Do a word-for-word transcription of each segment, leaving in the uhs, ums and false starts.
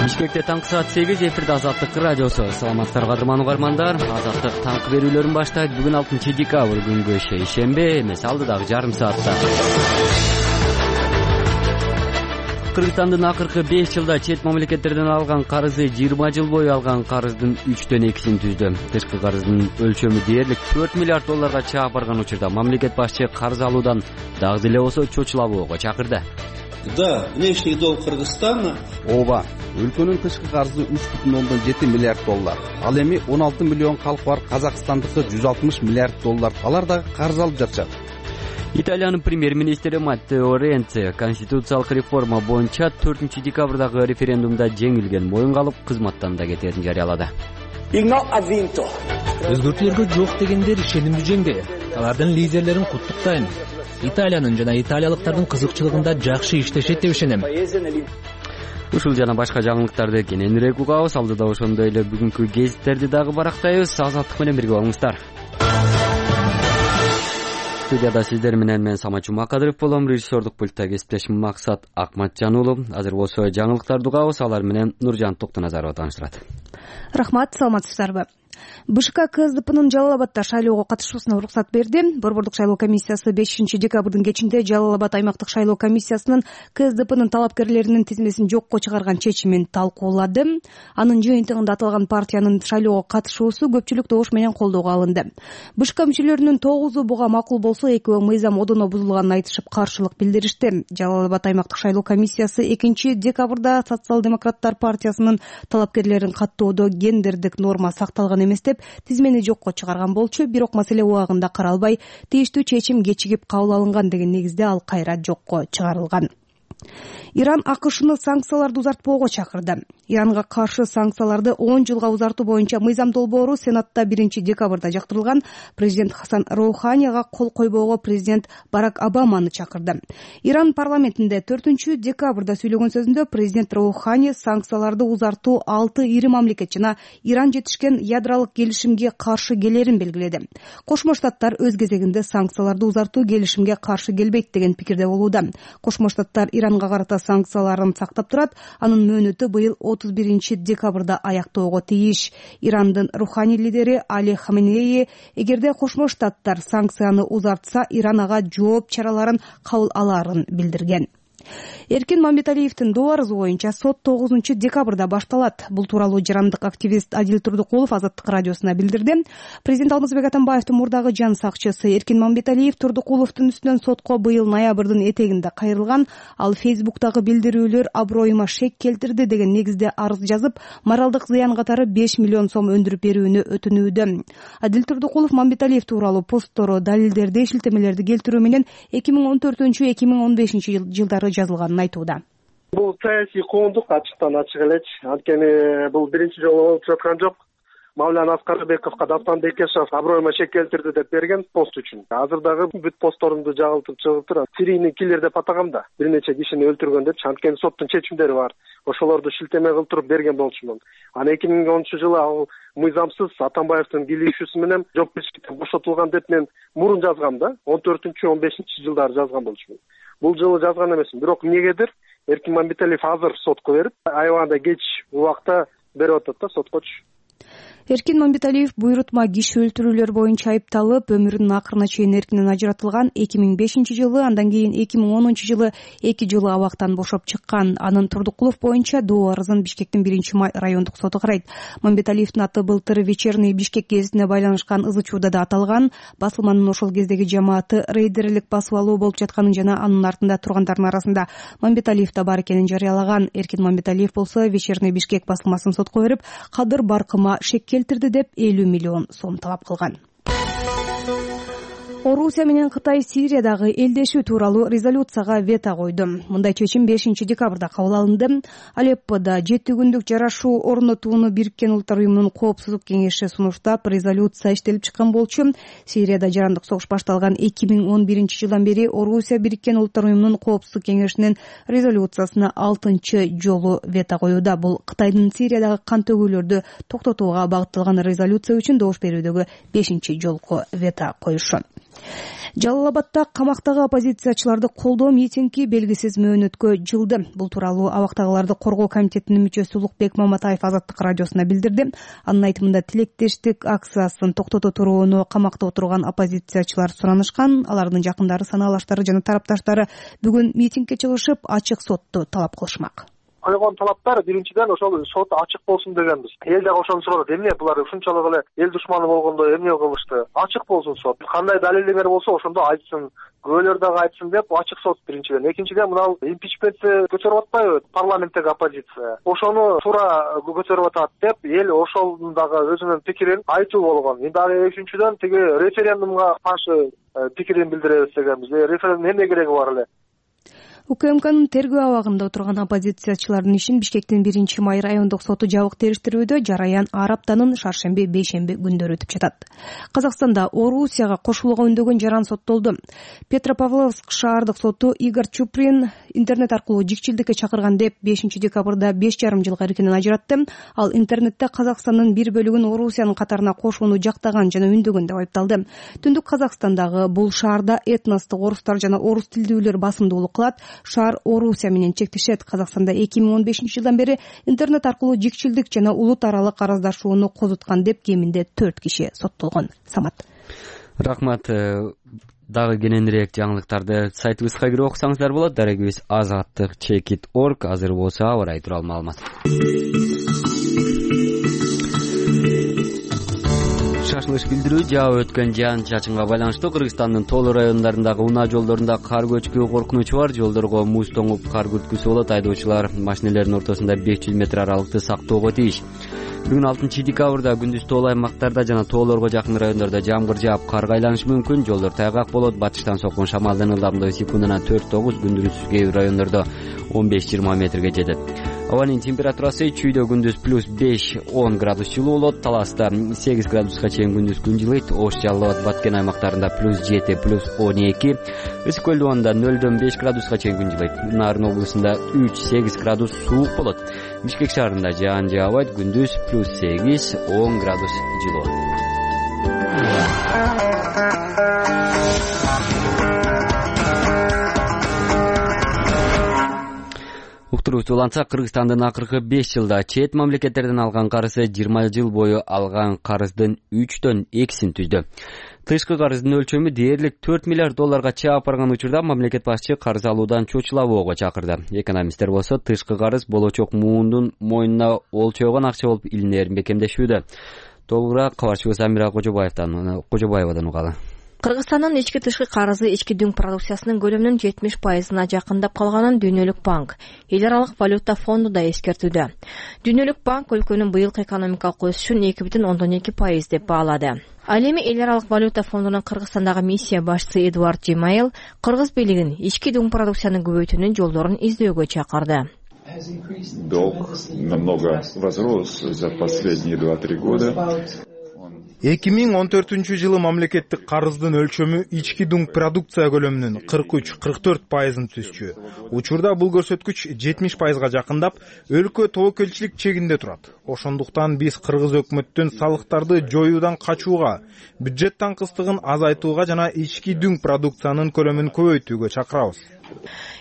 Бишкекте таңкы саат сегиз, эфирде Азаттык радиосу. Саламатсыздар кадырман угармандар. Азаттык таңкы берүүлөрүн баштайт. Бүгүн алтынчы декабрь күнгө шейшембе эмес, алдыдагы жарым саатта. Кыргызстандын акыркы беш жылда чет мамлекеттерден алган карызы жыйырма жыл бою алган карыздын үчтөн экисин түздү. Тышкы карыздын өлчөмү дээрлик төрт миллиард долларга чаап барган учурда мамлекет башчы карыз алуудан дагы деле болсо чочулабоого чакырды. Да, внешний долг Кыргызстана. Ооба, өлкөнүн тышкы карызы үч бүтүн ондон жети миллиард доллар. Ал эми он алты миллион калк бар Казакстандыкы жүз алтымыш миллиард доллар. Алар дагы карыз алып жатышат. Италиянын премьер-министри Маттео Ренци конституциялык реформа боюнча төртүнчү декабрдагы референдумда жеңилген моюнга алып кызматтан да кетерин жарыялады. Өзгөртүүлөргө жок дегендер ишенимдүү жеңди. Алардын лидерлерин куттуктайм. Италиянын жана италиялыктардын кызыкчылыгында жакшы иштешет деп ишенем. Ушул жана башка жаңылыктарды кененирээк угабыз. Алдыда ошондой эле бүгүнкү гезиттерди дагы барактайбыз. Азаттык менен бирге болуңуздар. Студияда сиздер менен мен Самат Жумакадыров болом. Режиссердук пультта кесиптешим Максат Акматжан уулу. Азыр болсо жаңылыктарды угабыз. Алар менен Нуржан Токтоназарова тааныштырат. Рахмат, саламатсыздарбы? БШК КСДПнын Жалал Абадда шайлоого катышуусуна уруксат берди. Борбордук шайлоо комиссиясы бешинчи декабрдын кечинде Жалал Абад аймактык шайлоо комиссиясынын КСДПнын талапкерлеринин тизмесин жокко чыгарган чечимин талкуулады. Анын жыйынтыгында аталган партиянын шайлоого катышуусу көпчүлүк добуш менен колдоого алынды. БШК мүчөлөрүнүн тогузу буга макул болсо, экөө мыйзам одоно бузулганын айтышып каршылык билдиришти. Жалал Абад аймактык шайлоо комиссиясы экинчи декабрда Социал-демократтар партиясынын талапкерлерин каттоодо гендердик норма сакталган эмес деп тизмени жокко чыгарган болчу, бирок маселе убагында каралбай, тийиштүү чечим кечигип кабыл алынган деген негизде ал кайра жокко чыгарылган. Иран АКШны санкцияларды узартпоого чакырды. Иранга каршы санкцияларды он жылга узартуу боюнча мыйзам долбоору Сенатта биринчи декабрда жактырылган. Президент Хасан Роуханияга кол койбоого президент Барак Обаманы чакырды. Иран парламентинде төртүнчү декабрда сүйлөгөн сөзүндө президент Роухани санкцияларды узартуу алты ири мамлекет жана Иран жетишкен ядролук келишимге каршы келерин белгиледи. Кошмо Штаттар өз кезегинде санкцияларды узартуу келишимге каршы келбейт деген пикирде болууда. Кошмо Штаттар Иранга карата санкцияларын сактап турат. Анын мөөнөтү быйыл отуз биринчи декабрда аяктоого тийиш. Ирандын руханий лидери Али Хаменеи эгерде Кошмо Штаттар санкцияны узартса, Иран ага жооп чараларын кабыл аларын билдирген. Эркин Мамбеталиевдин доо арызы боюнча сот тогузунчу декабрда башталат. Бул тууралуу жарандык активист Адил Турдукулов Азаттык радиосуна билдирди. Президент Алмазбек Атамбаевдин мурдагы жан сакчысы Эркин Мамбеталиев Турдукуловдун үстүнөн сотко быйыл ноябрдын этегинде кайрылган. Ал Фейсбуктагы билдирүүлөр аброюма шек келтирди деген негизде арыз жазып, моралдык зыян катары беш миллион сом өндүрүп берүүнү өтүнүүдө. Адил Турдукулов Мамбеталиев тууралуу посттору, далилдерди, шилтемелерди келтирүү менен эки миң он төртүнчү эки миң он бешинчи жылдары жазылганын айтууда. Бул саясий коомдук ачыктан ачык элечи. Анткени бул биринчи жолу болуп жаткан жок. Мавлян Аскарбековго Дафтан Бекешев аброюма шек келтирди деп берген пост үчүн. Азыр дагы бүт постторумду жагылтып чыгып турат. Серийный киллер деп атагам да. Бир нече кишини өлтүргөн деп. Анткени соттун чечимдери бар. Ошолорду шилтеме кылтырып берген болчумун. Анан эки миң онунчу жылы ал мыйзамсыз Атамбаевдин кийлигишүүсү менен жоопкерчиликтен бошотулган деп мен мурун жазгам да. он төртүнчү он бешинчи жылдары жазган болчумун. Бул жылы жазган эмесмин. Бирок эмнегедир Эркин Мамбеталиев азыр сотко берип, аябаганда кеч убакта берип атат да соткочу. Эркин Мамбеталиев буйрутма киши өлтүрүүлөр боюнча айыпталып, өмүрүнүн акырына чейин эркинен ажыратылган. эки миң бешинчи жылы, андан кийин эки миң онунчу жылы эки жылы абактан бошоп чыккан. Анын Турдукулов боюнча доо арызын Бишкектин биринчи май райондук соту карайт. Мамбеталиевдин аты былтыр Вечерний Бишкек гезитине байланышкан ызы чууда да аталган. Басылманын ошол кездеги жамааты рейдерлик басып алуу болуп жатканын жана анын артында тургандардын арасында Мамбеталиев да бар экенин жарыялаган. Эркин Мамбеталиев болсо Вечерний Бишкек басылмасын сотко берип, кадыр баркыма шек келтирди деп элүү миллион сом талап кылган. Орусия менен Кытай Сириядагы элдешүү тууралуу резолюцияга вето койду. Мындай чечим бешинчи декабрда кабыл алынды. Алеппода жети күндүк жарашуу орнотууну Бириккен Улуттар уюмунун коопсуздук кеңеши сунуштап, резолюция иштелип чыккан болчу. Сирияда жарандык согуш башталган эки миң он биринчи жылдан бери Орусия Бириккен Улуттар уюмунун коопсуздук кеңешинин резолюциясына алтынчы жолу вето коюуда. Бул Кытайдын Сириядагы кан төгүүлөрдү токтотууга багытталган резолюция үчүн добуш берүүдөгү бешинчи жолку вето коюшу. Жалал Абадта камактагы оппозициячыларды колдоо митинги белгисиз мөөнөткө жылды. Бул тууралуу абактагыларды коргоо комитетинин мүчөсү Улукбек Маматаев Азаттык радиосуна билдирди. Анын айтымында тилектештик акциясын токтото турууну камакта отурган оппозициячылар суранышкан. Алардын жакындары, санаалаштары жана тарапташтары бүгүн митингге чыгышып, ачык сотту талап кылышмак. Койгон талаптар биринчиден ошол сот ачык болсун дегенбиз. Эл дагы ошону сурап, эмне булар ушунчалык эле эл душманы болгондо эмне кылышты? Ачык болсун сот. Кандай далилдер болсо ошондо айтсын. Күбөлөр дагы айтсын деп ачык сот биринчиден. Экинчиден мына импичментти көтөрүп атпайбы парламенттеги оппозиция. Ошону туура көтөрүп атат деп эл ошонун дагы өзүнүн пикирин айтуу болгон. Эми дагы үчүнчүдөн тиги референдумга каршы пикирин билдиребиз дегенбиз. Референдум эмне кереги бар эле? УКМКнын тергөө абагында отурган оппозициячылардын ишин Бишкектин биринчи май райондук соту жабык териштирүүдө жараян ар аптанын шаршемби, бейшемби күндөрү өтүп жатат. Казакстанда Орусияга кошулууга үндөгөн жаран соттолду. Петропавловск шаардык соту Игорь Чуприн интернет аркылуу жикчилдикке чакырган деп бешинчи декабрда беш жарым жылга эркинен ажыратты. Ал интернетте Казакстандын бир бөлүгүн Орусиянын катарына кошууну жактаган жана үндөгөн деп айыпталды. Түндүк Казакстандагы бул шаарда этностук орустар жана орус тилдүүлөр басымдуулук кылат. Шаар Орусия менен чектешет. Казакстанда эки миң он бешинчи жылдан бери интернет аркылуу жикчилдик жана улут аралык араздашууну козуткан деп кеминде төрт киши соттолгон. Самат. Рахмат. Дагы кененирээк жаңылыктарды сайтыбызга кирип окусаңыздар болот. Дарегибиз азаттык чекит точка орг. Азыр болсо аба ырайы тууралуу маалымат. Шашылыш билдирүү жаап өткөн жаан чачынга байланыштуу Кыргызстандын тоолуу райондорундагы унаа жолдорунда кар көчкү коркунучу бар. Жолдорго муз тоңуп кар күрткүсү болот. Айдоочулар машинелердин ортосунда беш жүз метр аралыкты сактоого тийиш. Бүгүн алтынчы декабрда күндүз тоолуу аймактарда жана тоолорго жакын райондордо жамгыр жаап, кар айланышы мүмкүн. Жолдор тайгак болот. Батыштан соккон шамалдын ылдамдыгы секундына төрт тогуз, күндүз кээ бир райондордо он беш жыйырма метрге жетет. Абанын температурасы чүйдө күндүз плюс беш он градус жылуу болот. Таласта сегиз градуска чейин күндүз күн жылыйт. Ош, Жалал Абад, Баткен аймактарында плюс жети, плюс он эки. Ысык көл Доонда нөлдөн беш градуска чейин күн жылыйт. Нарын облусунда үч сегиз градус суук болот. Бишкек шаарында жаан жаабайт. Күндүз плюс сегиз он градус жылуу. Уктуруучу уланса, Кыргызстандын акыркы беш жылда чет мамлекеттерден алган карызы жыйырма жыл бою алган карыздын үчтөн экисин түздү. Тышкы карыздын өлчөмү дээрлик төрт миллиард долларга чаап барган учурда мамлекет башчы карыз алуудан чочулабоого чакырды. Экономисттер болсо тышкы карыз болочок муундун мойнуна олчойгон акча болуп илинээрин бекемдешүүдө. Толугураак кабарчыбыз Амира Кожобаевдан Кожобаевадан угалы. Кыргызстандын ички тышкы карызы ички дүң продукциясынын көлөмүнүн жетимиш пайызына жакындап калганын Дүйнөлүк банк, Эл аралык валюта фонду да эскертүүдө. Дүйнөлүк банк өлкөнүн быйылкы экономикалык өсүшүн эки бүтүн ондон эки пайыз деп баалады. Ал эми Эл аралык валюта фондунун Кыргызстандагы миссия башчысы Эдуард Джемаил кыргыз бийлигин ички дүң продукцияны көбөйтүүнүн жолдорун издөөгө чакырды. Долг намного возрос за последние два-три года. эки миң он төртүнчү жылы мамлекеттик карыздын өлчөмү ички дүң продукция көлөмүнүн кырк үч кырк төрт пайызын түзчү. Учурда бул көрсөткүч жетимиш пайызга жакындап, өлкө тобокелчилик чегинде турат. Ошондуктан биз кыргыз өкмөттүн салыктарды жоюудан качууга, бюджеттин кыстыгын азайтууга жана ички дүң продукциянын көлөмүн көбөйтүүгө чакырабыз.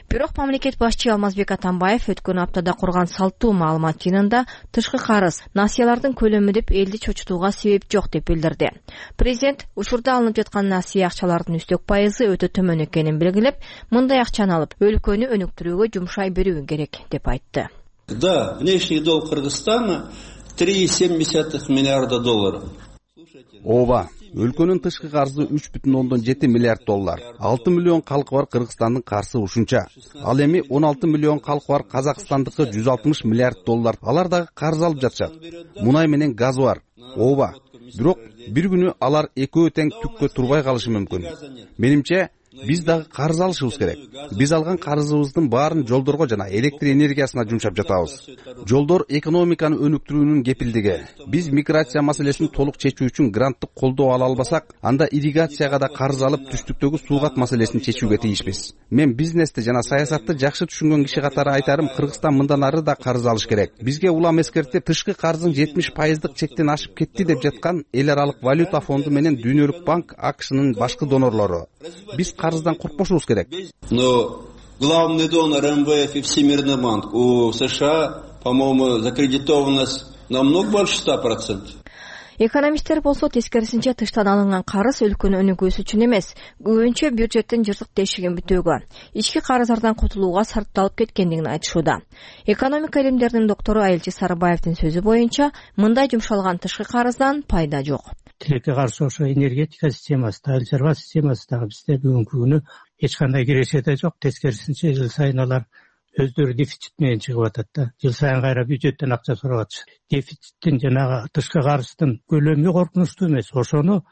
Бирок мамлекет башчы Алмазбек Атамбаев өткөн аптада курган салттуу маалымат жыйынында тышкы карыз, насыялардын көлөмү деп элди чочутууга себеп жок деп билдирди. Президент учурда алынып жаткан насыя акчалардын үстөк пайызы өтө төмөн экенин белгилеп, мындай акчаны алып өлкөнү өнүктүрүүгө жумшай берүү керек деп айтты. Да, внешний долг Кыргызстана три целых семь десятых миллиарда долларов. Ооба, өлкөнүн тышкы карызы үч бүтүн ондон жети миллиард доллар. алты миллион калкы бар Кыргызстандын карызы ушунча. Ал эми он алты миллион калкы бар Казакстандыкы жүз алтымыш миллиард доллар. Алар дагы карыз алып жатышат. Мунай менен газ бар. Ооба. Бирок бир күнү алар экөө тең түккө турбай калышы мүмкүн. Менимче, биз дагы карыз алышыбыз керек. Биз алган карызыбыздын баарын жолдорго жана электр энергиясына жумшап жатабыз. Жолдор экономиканы өнүктүрүүнүн кепилдиги. Биз миграция маселесин толук чечүү үчүн гранттык колдоо ала албасак, анда ирригацияга да карыз алып, түштүктөгү суугат маселесин чечүүгө тийишпиз. Мен бизнести жана саясатты жакшы түшүнгөн киши катары айтарым, Кыргызстан мындан ары да карыз алыш керек. Бизге улам эскертип, тышкы карыздын жетимиш пайыздык чектен ашып кетти деп жаткан Эл аралык валюта фонду менен Дүйнөлүк банк, АКШнын башкы донорлору. Биз карыздан коркпошубуз керек. Но главный донор эм вэ эф и Всемирный банк у США, по-моему, закредитованность намного больше ста процентов. Экономисттер болсо тескерисинче тыштан алынган карыз өлкөнүн өнүгүүсү үчүн эмес, көбүнчө бюджеттин жыртык тешигин бүтөөгө, ички карыздардан кутулууга сарпталып кеткендигин айтышууда. Экономика илимдеринин доктору Айылчы Сарыбаевдин сөзү боюнча, мындай жумшалган тышкы карыздан пайда жок. Тилекке каршы ошо энергетика системасында, чарба системасындагы бизде бүгүнкү күнү эч кандай киреше да жок. Тескерисинче жыл сайын алар өздөрү дефицит менен чыгып атат да. Жыл сайын кайра бюджеттен акча сурап атышат. Дефициттин жанагы тышкы карыздын көлөмү коркунучтуу эмес. Ошону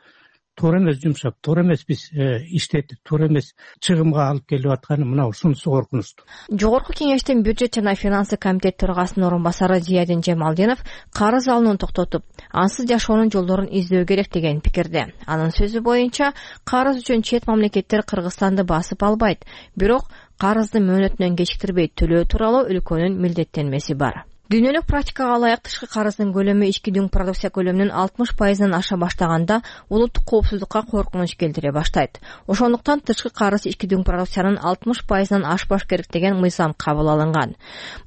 туура эмес жумшап, туура эмес биз иштетип, туура эмес чыгымга алып келип атканы мына ушунусу коркунучтуу. Жогорку кеңештин бюджет жана финансы комитет төрагасынын орун басары Зиядин Жемалдинов карыз алууну токтотуп, ансыз жашоонун жолдорун издөө керек деген пикирде. Анын сөзү боюнча, карыз үчүн чет мамлекеттер Кыргызстанды басып албайт, бирок карызды мөөнөтүнөн кечиктирбей төлөө тууралуу өлкөнүн милдеттенмеси бар. Дүйнөлүк практикага ылайык тышкы карыздын көлөмү ички дүң продукция көлөмүнүн алтымыш пайызынан аша баштаганда улуттук коопсуздукка коркунуч келтире баштайт. Ошондуктан тышкы карыз ички дүң продукциянын алтымыш пайызынан ашпаш керек деген мыйзам кабыл алынган.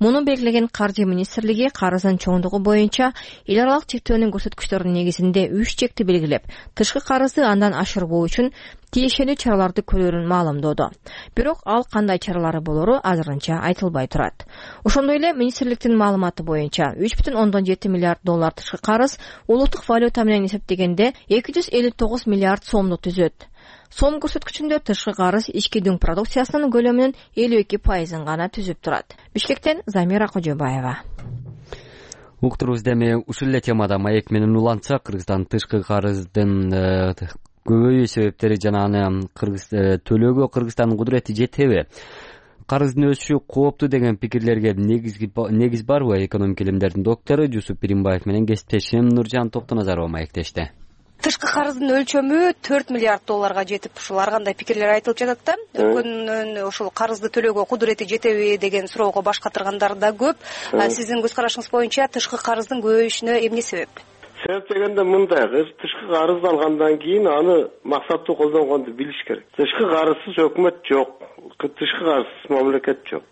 Муну белгилеген Каржы министрлиги карыздын чоңдугу боюнча эл аралык чектөөнүн көрсөткүчтөрүнүн негизинде үч чекти белгилеп, тышкы карызды андан ашырбоо үчүн тиешелүү чараларды көрөрүн маалымдоодо. Бирок ал кандай чаралары болору азырынча айтылбай турат. Ошондой эле министрликтин маалыматы боюнча үч бүтүн ондон жети миллиард доллар тышкы карыз улуттук валюта менен эсептегенде эки жүз элүү тогуз миллиард сомду түзөт. Сом көрсөткүчүндө тышкы карыз ички дүң продукциясынын көлөмүнүн элүү эки пайызын гана түзүп турат. Бишкектен Замира Кожобаева. Уктурубуз эми ушул эле темада маек менен улантсак, Кыргызстан тышкы карыздын көбөйүү себептери жана аны Кыргыз төлөөгө Кыргызстандын кудурети жетеби? Карыздын өсүшү кооптуу деген пикирлерге негиз барбы? Экономика илимдеринин доктору Жусуп Биримбаев менен кесиптешим Нуржан Токтоназарова маектешти. Тышкы карыздын өлчөмү төрт миллиард долларга жетип, ушул ар кандай пикирлер айтылып жатат да. Өлкөнүн ушул карызды төлөөгө кудурети жетеби деген суроого баш катыргандар да көп. Сиздин көз карашыңыз боюнча тышкы карыздын көбөйүшүнө эмне себеп? Себеп дегенде мындай, тышкы карыз алгандан кийин аны максаттуу колдонгонду билиш керек. Тышкы карызсыз өкмөт жок, тышкы карызсыз мамлекет жок.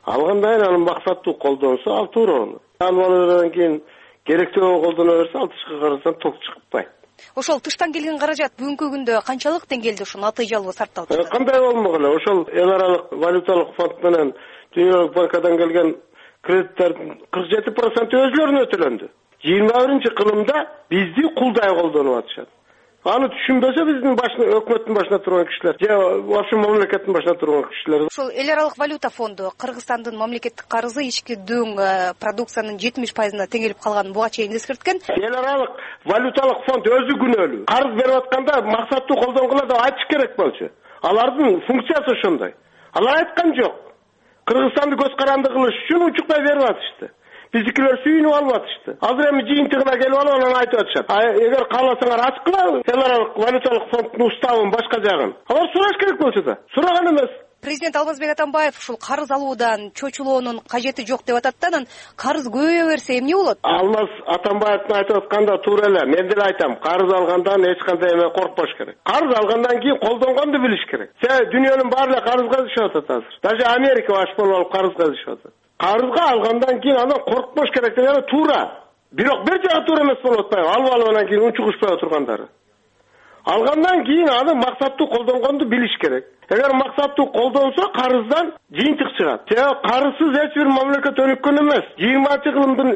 Алгандан кийин аны максаттуу колдонсо, ал туура. Алгандан кийин керектүү колдоно берсе, ал тышкы карыздан ток чыкпайт. Ошол тыштан келген каражат бүгүнкү күндө канчалык деңгээлде ушул натыйжалуу сарпталып жатат? Кандай болмогула, ошол эл аралык валюталык фонд менен Дүйнөлүк банкадан келген кредиттердин кырк жети проценти өзлөрүнө төлөндү. жыйырма биринчи кылымда бизди кулдай колдонуп атышат. Аны түшүнбөсө биздин башына, өкмөттүн башына турган кишилер, же ошол мамлекеттин башына турган кишилер. Ошол эл аралык валюта фонду Кыргызстандын мамлекеттик карызы ички дүң продукциянын жетимиш пайызына теңелип калганын буга чейин эскерткен. Эл аралык валюталык фонд өзү күнөөлүү. Карыз берип атканда максаттуу колдонгула деп айтыш керек болчу. Алардын функциясы ошондой. Алар айткан жок. Кыргызстанды көз каранды кылыш үчүн учуктай берип атышты. Биздикилер сүйүнүп алып атышты. Азыр эми жыйынтыгына келип алып анан айтып атышат. Эгер кааласаңар ачкыла, эл аралык валюталык фонддун уставын башка жагын. Алар сураш керек болчу да. Сураган эмес. Президент Алмазбек Атамбаев ушул карыз алуудан чочулоонун кажети жок деп атат да, анан карыз көбөйө берсе эмне болот? Алмаз Атамбаевдин айтып атканда туура эле. Мен деле айтам, карыз алгандан эч кандай эме коркпош керек. Карыз алгандан кийин колдонгонду билиш керек. Се дүйнөнүн баары эле карызга түшүп атат азыр. Даже Америка баш болуп алып карызга түшүп атат. Карызга алгандан кийин анан коркпош керек дегени туура. Бирок бир жагы туура эмес болуп атпайбы? Алып алгандан кийин унчугушпай отургандары. Алгандан кийин аны максаттуу колдонгонду билиш керек. Эгер максаттуу колдонсо, карыздан жыйынтык чыгат. Же карызсыз эч бир мамлекет өнүккөн эмес. жыйырманчы кылымдын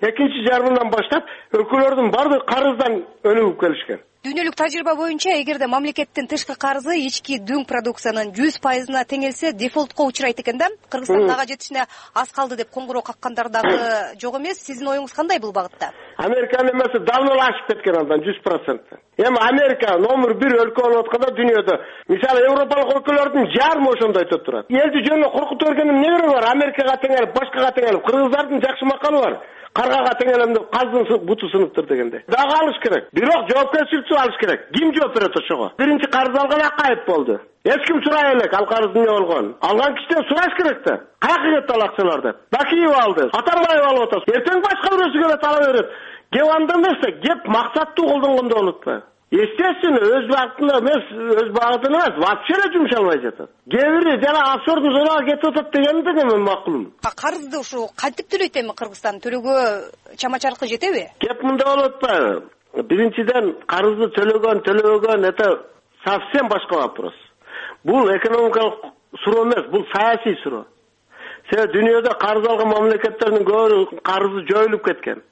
экинчи жарымынан баштап өлкөлөрдүн баардыгы карыздан өнүгүп келишкен. Дүйнөлүк тажрыйба боюнча эгерде мамлекеттин тышкы карызы ички дүң продукциянын жүз пайызына тең келсе, дефолтко учурайт экен да. Кыргызстан ага жетишине аз калды деп коңгуроо каккандар дагы жок эмес. Сиздин оюңуз кандай бул багытта? Американын эмеси давно ашып кеткен андан жүз процент. Эми Америка номер бир өлкө болуп атканда дүйнөдө. Мисалы Европалык өлкөлөрдүн жарымы ошондой өтүп турат. Элди жөнүнө коркутуп бергендин эмне кереги бар? Америкага теңелип, башкага теңелип, кыргыздардын жакшы макалы бар. Каргага теңелем деп каздын буту сыныптыр дегенде. Дагы алыш керек. Бирок жоопкерчиликти алыш керек. Ким жооп берет ошого? Биринчи карыз алган акайып болду. Эч ким сурай элек ал карыздын эмне болгонун. Алган кишиден сураш керек да. Каяка кетти ал акчалар деп. Бакиев алды. Атамбаев алып атат. Эртең башка бирөөсү келет ала берет. Кеп анда эмес, кеп максаттуу колдонгондо болот. Естественно, өз багытында эмес, өз багытында эмес, вообще эле жумшалбай жатат. Кээ бири жана офшордун зонага кетип атат дегенди мен макулмун. Карызды ушу кантип төлөйт эми Кыргызстан? Төлөөгө чама-чаркы жетеби? Кеп мында болуп атпайбы? Биринчиден карызды төлөгөн, төлөбөгөн это совсем башка вопрос. Бул экономикалык суроо эмес, бул саясий суроо. Себеби дүйнөдө карыз алган мамлекеттердин көбү карызы жоюлуп кеткен.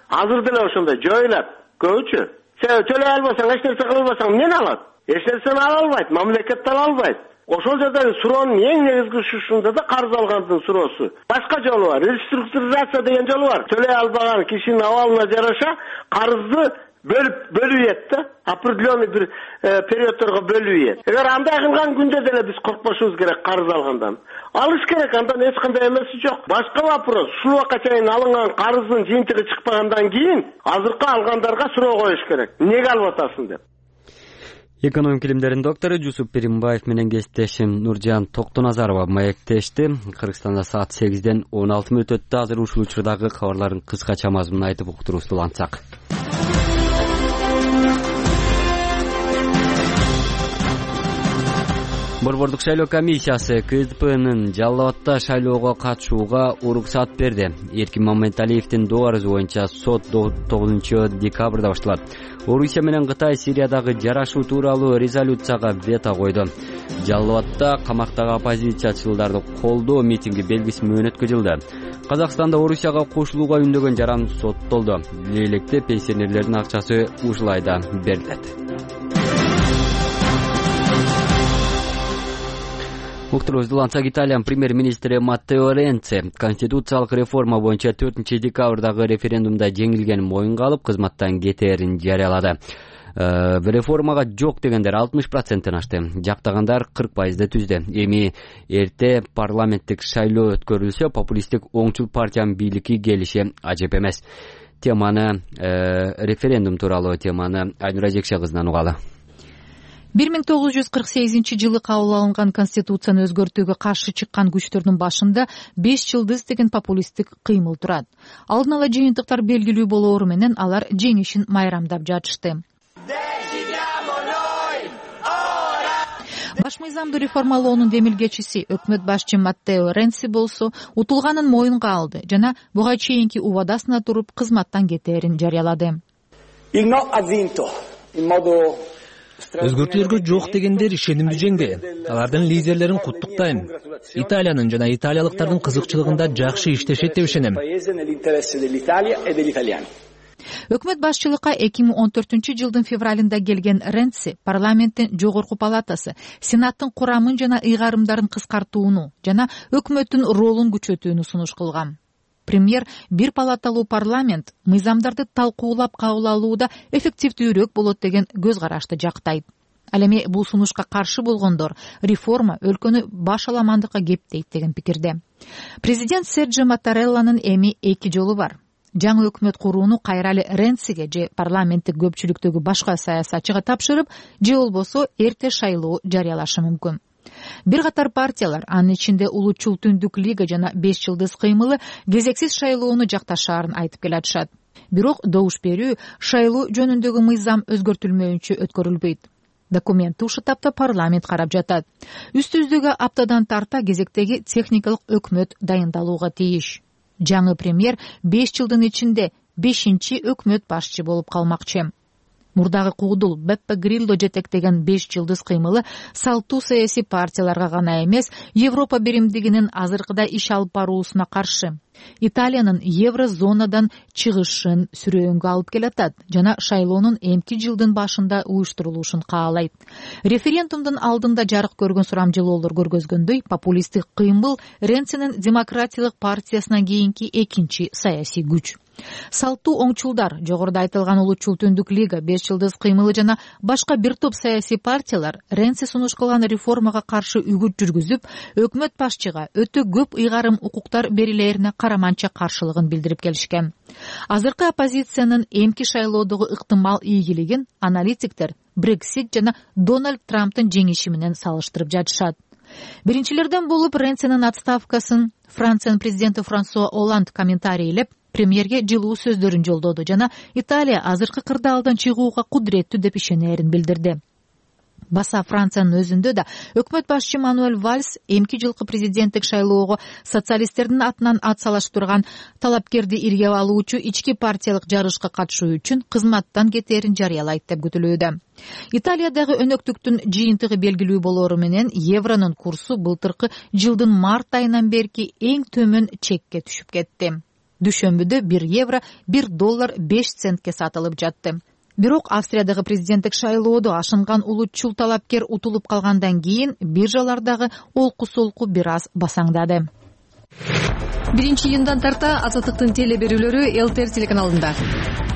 Азыр деле ошондой жоюлат, көбүчө. Төлөй албасаң, эч нерсе кыла албасаң, эмнени алат? Эч нерсени ала албайт, мамлекет ала албайт. Ошол жердеги суроонун эң негизги ушунда да карыз алгандын суроосу. Башка жолу бар, реструктуризация деген жолу бар. Төлөй албаган кишинин абалына жараша карызды бөлүп бөлүп ийет да, определенный бир периодторго бөлүп ийет. Эгер андай кылган күндө деле биз коркпошубуз керек карыз алгандан. Алыш керек, андан эч кандай эмеси жок. Башка вопрос, ушул убакка чейин алынган карыздын жыйынтыгы чыкпагандан кийин азыркы алгандарга суроо коюш керек. Эмнеге алып атасың деп. Экономика илимдеринин доктору Жусуп Перимбаев менен кесиптешим Нуржан Токтоназарова маектешти. Кыргызстанда саат сегизден он алты мүнөт өттү. Азыр ушул учурдагы кабарлардын кыскача мазмунун айтып уктуруусун улантсак. Борбордук шайлоо комиссиясы КСДПнын Жалал Абадда шайлоого катышууга уруксат берди. Эркин Маматалиевдин доо арызы боюнча сот тогузунчу декабрда башталат. Орусия менен Кытай Сириядагы жарашуу тууралуу резолюцияга вето койду. Жалал Абадда камактагы оппозициячыларды колдоо митинги белгисиз менен өткөрүлдү. Казакстанда Орусияга кошулууга үндөгөн жаран соттолду. Электе пенсионерлердин акчасы ушул айда берилет. Уктурузулансак Италиянын премьер-министри Маттео Ренци конституциялык реформа боюнча төртүнчү декабрдагы референдумда жеңилгенин моюнга алып, кызматтан кетээрин жарыялады. Реформага жок дегендер алтымыш проценттен ашты, жактагандар кырк пайызды түздү. Эми эрте парламенттик шайлоо өткөрүлсө, популисттик оңчул партиянын бийликке келиши ажеп эмес. Теманы референдум тууралуу теманы Айнура Жекше кызынан угалы. бир миң тогуз жүз кырк сегизинчи жылы кабыл алынган конституцияны өзгөртүүгө каршы чыккан күчтөрдүн башында беш жылдыз деген популисттик кыймыл турат. Алдын ала жыйынтыктар белгилүү болоору менен алар жеңишин майрамдап жатышты. Баш мыйзамды реформалоонун демилгечиси өкмөт башчы Маттео Ренци болсо утулганын моюнга алды жана буга чейинки убадасына туруп кызматтан кетээрин жарыялады. Өзгөртүүлөргө жок дегендер ишенимдүү жеңди. Алардын лидерлерин куттуктайм. Италиянын жана италиялыктардын кызыкчылыгында жакшы иштешет деп ишенем. Өкмөт башчылыкка эки миң он төртүнчү жылдын февралында келген Ренци парламенттин жогорку палатасы, сенаттын курамын жана ыйгарымдарын кыскартууну жана өкмөттүн ролун күчөтүүнү сунуш кылган. Премьер бир палаталуу парламент мыйзамдарды талкуулап кабыл алууда эффективдүүрөөк болот деген көз карашты жактайт. Ал эми бул сунушка каршы болгондор реформа өлкөнү баш аламандыкка кептейт деген пикирде. Президент Серджио Маттарелланын эми эки жолу бар. Жаңы өкмөт курууну кайралы Ренциге же парламенттик көпчүлүктөгү башка саясатчыга тапшырып, же болбосо эрте шайлоо жарыялашы мүмкүн. Бир катар партиялар, анын ичинде Улуучул Түндүк Лига жана беш жылдыз кыймылы кезексиз шайлоону жакташаарын айтып келатышат. Бирок добуш берүү шайлоо жөнүндөгү мыйзам өзгөртүлмөйүнчө өткөрүлбөйт. Документти ушул тапта парламент карап жатат. Үстүбүздөгү аптадан тарта кезектеги техникалык өкмөт дайындалууга тийиш. Жаңы премьер беш жылдын ичинде бешинчи өкмөт башчы болуп калмакчы. мурдагы куудул Беппе Грилло жетектеген беш жылдыз кыймылы салттуу саясий партияларга гана эмес, Европа биримдигинин азыркыда иш алып баруусуна каршы. Италиянын еврозонадан чыгышын сүрөөнгө алып келатат жана шайлоонун эмки жылдын башында уюштурулушун каалайт. Референдумдун алдында жарык көргөн сурамжылоолор көргөзгөндөй, популисттик кыймыл Ренцинин демократиялык партиясынан кийинки экинчи саясий күч. Салттуу оңчулдар, жогоруда айтылган Улутчул Түндүк лига, беш жылдыз кыймылы жана башка бир топ саясий партиялар Ренци сунуш кылган реформага каршы үгүт жүргүзүп, өкмөт башчыга өтө көп ыйгарым укуктар берилерине караманча каршылыгын билдирип келишкен. Азыркы оппозициянын эмки шайлоодогу ыктымал ийгилигин аналитиктер Брексит жана Дональд Трамптын жеңиши менен салыштырып жатышат. Биринчилерден болуп Ренцинин отставкасын Франциянын президенти Франсуа Олланд комментарийлеп, премьерге жылуу сөздөрүн жолдоду жана Италия азыркы кырдаалдан чыгууга кудуреттүү деп ишенерин билдирди. Баса Франциянын өзүндө да өкмөт башчы Мануэль Вальс эмки жылкы президенттик шайлоого социалисттердин атынан ат салыштырган талапкерди иргеп алуучу ички партиялык жарышка катышуу үчүн кызматтан кетээрин жарыялайт деп күтүлүүдө. Италиядагы өнөктүктүн жыйынтыгы белгилүү болору менен евронун курсу былтыркы жылдын март айынан берки эң төмөн чекке түшүп кетти. Дүйшөмбүдө бир евро бир доллар беш центке сатылып жатты. Бирок Австриядагы президенттик шайлоодо ашынган улутчул талапкер утулуп калгандан кийин биржалардагы олку-солку бир аз басаңдады. Биринчи июндан тарта Азаттыктын теле берүүлөрү эл эр телеканалында.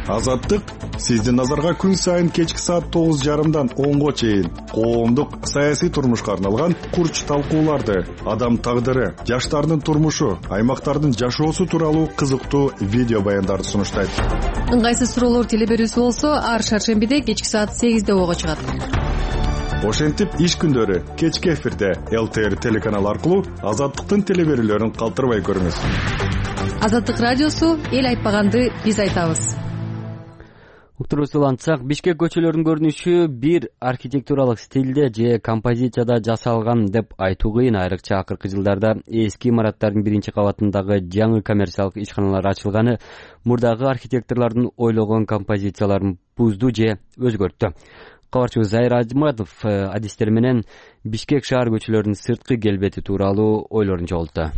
Азаттык сиздин назарга күн сайын кечки саат тогуз жарымдан онго чейин коомдук саясий турмушка арналган курч талкууларды, адам тагдыры, жаштардын турмушу, аймактардын жашоосу тууралуу кызыктуу видео баяндарды сунуштайт. Ыңгайсыз суроолор теле берүүсү болсо, ар шаршембиде кечки саат сегизде ого чыгат. Ошентип иш күндөрү кечки эфирде эл эр телеканалы аркылуу Азаттыктын теле берүүлөрүн калтырбай көрүңүз. Азаттык радиосу эл айтпаганды биз айтабыз. Уктурусулантсак, Бишкек көчөлөрүнүн көрүнүшү бир архитектуралык стилде же композицияда жасалган деп айтуу кыйын. Айрыкча акыркы жылдарда эски имараттардын биринчи кабатындагы жаңы коммерциялык ишканалар ачылганы мурдагы архитекторлордун ойлогон композицияларын бузду же өзгөрттү. Кабарчыбыз Зайыр Ажматов адистер менен Бишкек шаар көчөлөрүнүн сырткы келбети тууралуу ойлорун жолту.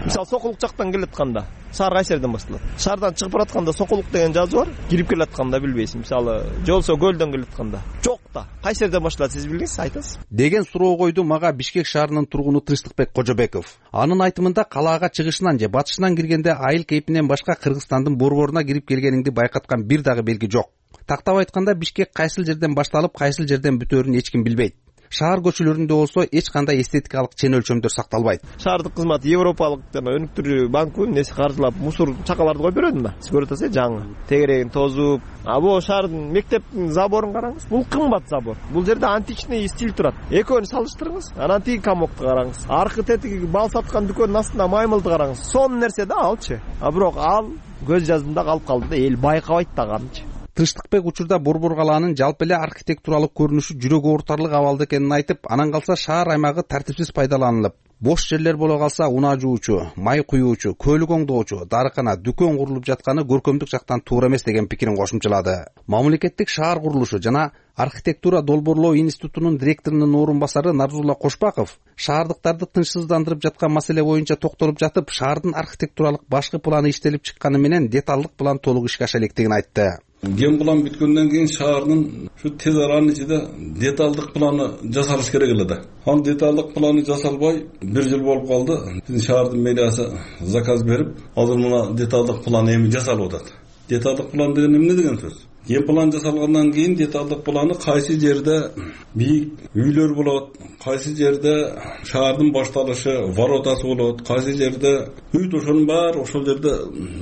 Мисалы, Сокулук жактан келатканда шаар кайсы жерден башталат? Шаардан чыгып баратканда Сокулук деген жазуу бар, кирип келатканда билбейсиң. Мисалы, жолсо көлдөн келатканда. Жок да. Кайсы жерден башталат, сиз билдиңиз, айтасыз. Деген суроо койду мага Бишкек шаарынын тургуну Тынчтыкбек Кожобеков. Анын айтымында калаага чыгышынан же батышынан киргенде айыл кейпинен башка Кыргызстандын борборуна кирип келгениңди байкаткан бир дагы белги жок. Тактап айтканда Бишкек кайсыл жерден башталып, кайсыл жерден бүтөөрүн эч ким билбейт. Шаар көчөлөрүндө болсо эч кандай эстетикалык чен өлчөмдөр сакталбайт. Шаардык кызмат европалык жана өнүктүрүү банкы несі каржылап мусор чакаларды коюп берет да. Сиз көрүп атасыз, жаңы тегерегин тозуп. А бул шаардын мектептин заборун караңыз. Бул кымбат забор. Бул жерде античный стиль турат. Экөөнү салыштырыңыз. Анан тиги комокту караңыз. Аркы тетиги бал саткан дүкөндүн астында маймылды караңыз. Сонун нерсе да алчы. А бирок ал көз жаздында калып калды да, эл байкабайт да канчы. Тынчтыкбек учурда Борбор калаанын жалпы эле архитектуралык көрүнүшү жүрөк оорутарлык абалда экенин айтып, анан калса шаар аймагы тартипсиз пайдаланылып, бош жерлер боло калса унаа жуучу, май куюучу, көлүк оңдоочу, дарыкана, дүкөн курулуп жатканы көркөмдүк жактан туура эмес деген пикирин кошумчалады. Мамлекеттик шаар курулушу жана архитектура долбоорлоо институтунун директорунун орун басары Нарзулла Кошпаков шаардыктарды тынчсыздандырып жаткан маселе боюнча токтолуп жатып, шаардын архитектуралык башкы планы иштелип чыкканы менен деталдык план толук ишке аша электигин айтты. Ген план бүткөндөн кийин шаардын ушу тез аранын ичинде деталдык планы жасалыш керек эле да. Ал деталдык планы жасалбай бир жыл болуп калды. Биздин шаардын мэриясы заказ берип, азыр мына деталдык план эми жасалып атат. Деталдык план деген эмне деген сөз? Ген план жасалгандан кийин деталдык планы кайсы жерде бийик үйлөр болот, кайсы жерде шаардын башталышы, воротасы болот, кайсы жерде үй ошонун баары ошол жерде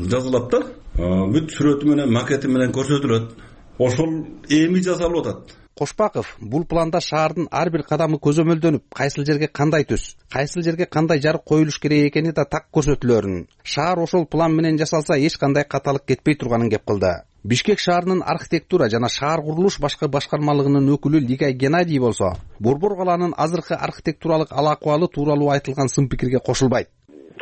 жазылат да. Бүт сүрөтү менен, макети менен көрсөтүлөт. Ошол эми жасалып атат. Кошпаков бул планда шаардын ар бир кадамы көзөмөлдөнүп, кайсыл жерге кандай түс, кайсыл жерге кандай жарык коюлуш керек экени да так көрсөтүлөрүн, шаар ошол план менен жасалса эч кандай каталык кетпей турганын кеп кылды. Бишкек шаарынын архитектура жана шаар курулуш башкы башкармалыгынын өкүлү Лигай Геннадий болсо, Борбор калаанын азыркы архитектуралык ал акыбалы тууралуу айтылган сын пикирге кошулбайт.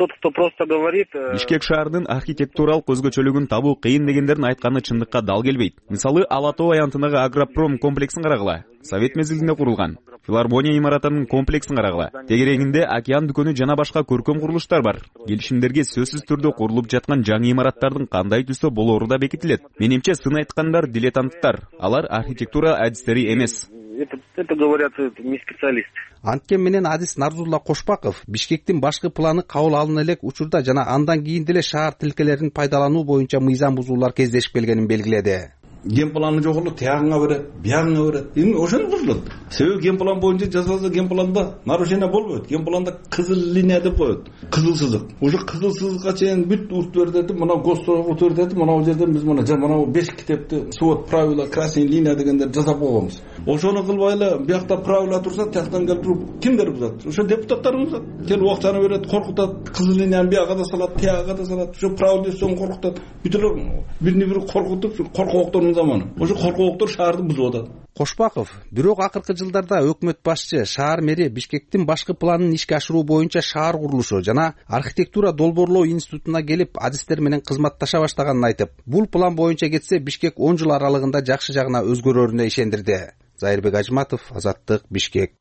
тот, кто просто говорит. Бишкек шаарынын архитектуралык өзгөчөлүгүн табуу кыйын дегендердин айтканы чындыкка дал келбейт. Мисалы, Ала тоо аянтындагы Агропром комплексин карагыла. Совет мезгилинде курулган. Филармония имаратынын комплексин карагыла. Тегерегинде океан дүкөнү жана башка көркөм курулуштар бар. Келишимдерге сөзсүз түрдө курулуп жаткан жаңы имараттардын кандай түстө болоору да бекитилет. Менимче сын айткандар дилетанттар. Алар архитектура адистери эмес. Это, это говорят не специалисты. Анткени менен адис Нарзулла Кошпаков Бишкектин башкы планы кабыл алына элек учурда жана андан кийин деле шаар тилкелерин пайдалануу боюнча мыйзам бузуулар кездешип келгенин белгиледи. Ген планы жок эле тиягыңа берет, биягыңа берет. Эми ошону бузулат. Себеби ген план боюнча жасалса ген планда нарушение болбойт. Ген планда кызыл линия деп коет. Кызыл сызык. Уже кызыл сызыкка чейин бүт урт берди, мына госторг берди, мына жерден биз мына мына беш китепти свод правила красный линия дегендер жасап койгонбуз. Ошону кылбай эле биякта правила турса, тияктан келип туруп кимдер бузат? Ошо депутаттар бузат. Келип акчаны берет, коркутат, кызыл линияны бияга да салат, тияга да салат. Ошо правила десең коркутат. Бүт эле бирини бири коркутуп, коркоктор заманы. Ошо коркоктор шаарды бузуп атат. Кошпаков бирок акыркы жылдарда өкмөт башчы, шаар мэри Бишкектин башкы планын ишке ашыруу боюнча шаар курулушу жана архитектура долбоорлоо институтуна келип адистер менен кызматташа баштаганын айтып, бул план боюнча кетсе Бишкек он жыл аралыгында жакшы жагына өзгөрөрүнө ишендирди. Зайырбек Ажматов, Азаттык, Бишкек.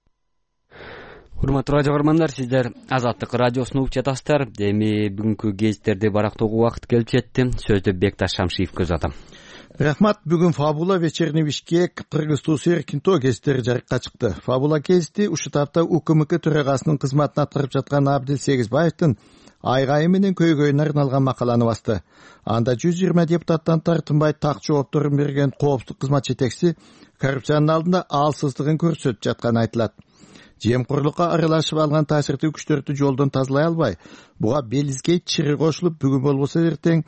Урматтуу радио көрөрмандар, сиздер Азаттык радиосун угуп жатасыздар. Эми бүгүнкү гезиттерди барактоого убакыт келип жетти. Сөздү Бекташ Шамшиевке узатам. Рахмат. Бүгүн Фабула, Вечерний Бишкек, Кыргыз туусу Эркинто гезиттери жарыкка чыкты. Фабула гезити ушул тапта УКМК төрагасынын кызматын аткарып жаткан Абдил Сегизбаевдин айгайы менен көйгөйүнө арналган макаланы басты. Анда жүз жыйырма депутаттан тартынбай так жоопторун берген коопсуздук кызмат жетекчиси коррупциянын алдында алсыздыгын көрсөтүп жатканы айтылат. Жемкорлукка аралашып алган таасирдүү күчтөрдү жолдон тазалай албай, буга белизге чыры кошулуп, бүгүн болбосо эртең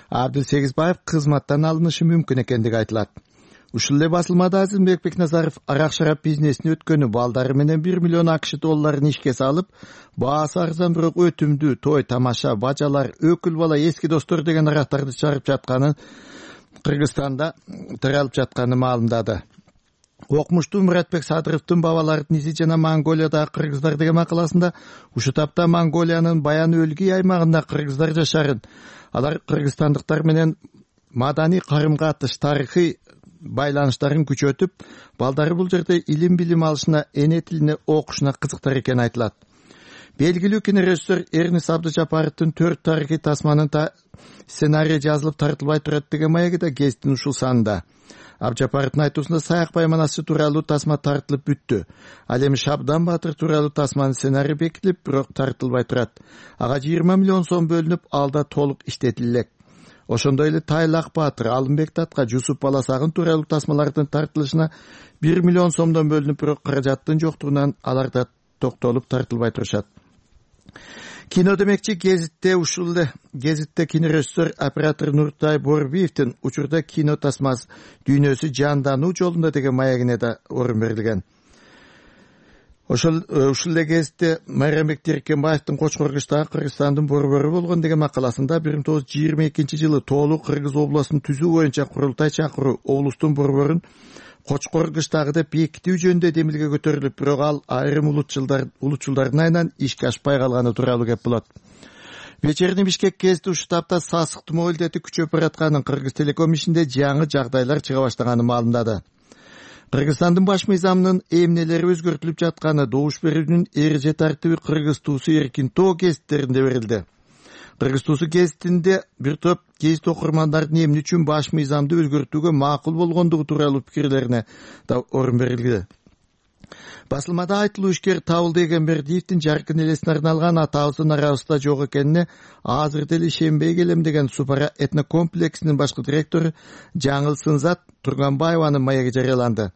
Абдил Сегизбаев кызматтан алынышы мүмкүн экендиги айтылат. Ушул эле басылмада Азимбек Бекназаров арак шарап бизнесине өткөнү балдары менен бир миллион акш долларын ишке салып, баасы арзан бирок өтүмдүү той тамаша, бажалар, өкүл бала, эски достор деген арактарды чыгарып жатканын Кыргызстанда таралып жатканы маалымдады. Окмуштуу Муратбек Садыровдун бабалардын изи жана Монголиядагы кыргыздар деген макаласында ушул тапта Монголиянын Баян өлгий аймагында кыргыздар жашарын, алар кыргызстандыктар менен маданий карым-катыш, тарыхый байланыштарын күчөтүп, балдары бул жерде илим билим алышына, эне тилине окушуна кызыктар экени айтылат. Белгилүү кинорежиссер Эрнис Абдыжапаровдун төрт тарыхый тасманын сценарий жазылып тартылбай турат деген маеги да гезиттин ушул санында. Абдыжапаровдун айтуусунда Саяк Байманасы тууралуу тасма тартылып бүттү. Ал эми Шабдан Батыр тууралуу тасманын сценарий бекитилип, бирок тартылбай турат. Ага жыйырма миллион сом бөлүнүп, алда толук иштетилет. Ошондой эле Тайлак Батыр, Алымбек Татка, Жусуп Баласагын тууралуу тасмалардын тартылышына бир миллион сомдон бөлүнүп, бирок каражаттын жоктугунан алар да токтолуп тартылбай турушат. Кино демекчи гезитте ушул эле гезитте кинорежиссер оператор Нуртай Борбиевдин учурда кино тасмасы дүйнөсү жандануу жолунда деген маегине да орун берилген. Ошол ушул эле гезитте Майрамбек Теркенбаевдин Кочкоркучтагы Кыргызстандын борбору болгон деген макаласында бир миң тогуз жүз жыйырма экинчи жылы тоолуу Кыргыз областын түзүү боюнча курултай чакыруу облустун борборун Кочкоркучтагы деп бекитүү жөнүндө демилге көтөрүлүп, бирок ал айрым улутчулдардын айынан ишке ашпай калганы тууралуу кеп болот. Вечерний Бишкек гезити ушул тапта сасык тумоо илдети күчөп баратканын, Кыргыз Телеком ишинде жаңы жагдайлар чыга баштаганын маалымдады. Кыргызстандын баш мыйзамынын эмнелери өзгөртүлүп жатканы добуш берүүнүн эреже тартиби Кыргыз туусу Эркинто гезиттеринде берилди. Кыргыз туусу гезитинде бир топ гезит окурмандардын эмне үчүн баш мыйзамды өзгөртүүгө макул болгондугу тууралуу пикирлерине да орун берилди. Басылмада айтылуу ишкер Табылды Эгембердиевдин жаркын элесине арналган атабыздын арабызда жок экенине азыр деле ишенбей келем деген Супара этнокомплексинин башкы директору Жаңыл Сынзат Турганбаеванын маеги жарыяланды.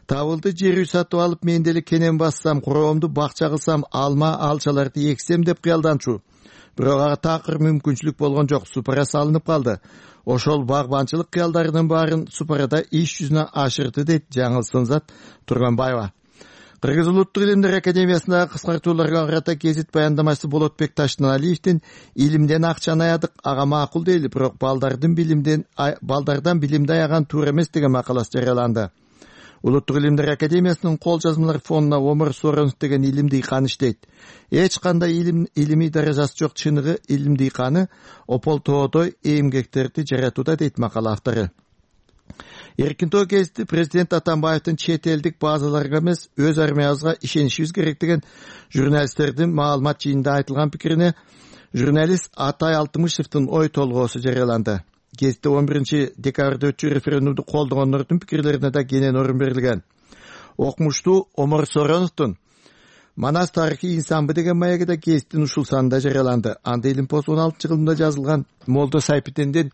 Табылды жер үй сатып алып, мен деле кенен бассам, куроомду бакча кылсам, алма алчаларды эксем деп кыялданчу. Бирок ага такыр мүмкүнчүлүк болгон жок, Супара салынып калды. Ошол багбанчылык кыялдарынын баарын Супарада иш жүзүнө ашырды, дейт Жаңыл Сынзат Турганбаева. Кыргыз улуттук илимдер академиясындагы кыскартууларга карата гезит баяндамачысы Болотбек Таштыналиевдин илимден акчаны аядык, ага макул дейли, бирок балдардын билимден балдардан билимди аяган туура эмес деген макаласы жарыяланды. Улуттук илимдер академиясынын кол жазмалар фондуна Омар Соронов деген илим дыйкан иштейт. Эч кандай илим илимий даражасы жок чыныгы илим дыйканы ополтоодой эмгектерди жаратууда дейт макала автору. Эркин тоо гезити президент Атамбаевдин чет элдик базаларга эмес, өз армиябызга ишенишибиз керек деген журналисттердин маалымат жыйынында айтылган пикирине журналист Атай Алтымышевдин ой толгоосу жарыяланды. Гезитте он биринчи декабрда өтчү референдумду колдогондордун пикирлерине да кенен орун берилген. Окумуштуу Омар Сороновдун Манас тарыхый инсанбы деген маеги да гезиттин ушул санында жарыяланды. Анда Илим пост он алтынчы жылында жазылган Молдо Сайпитендин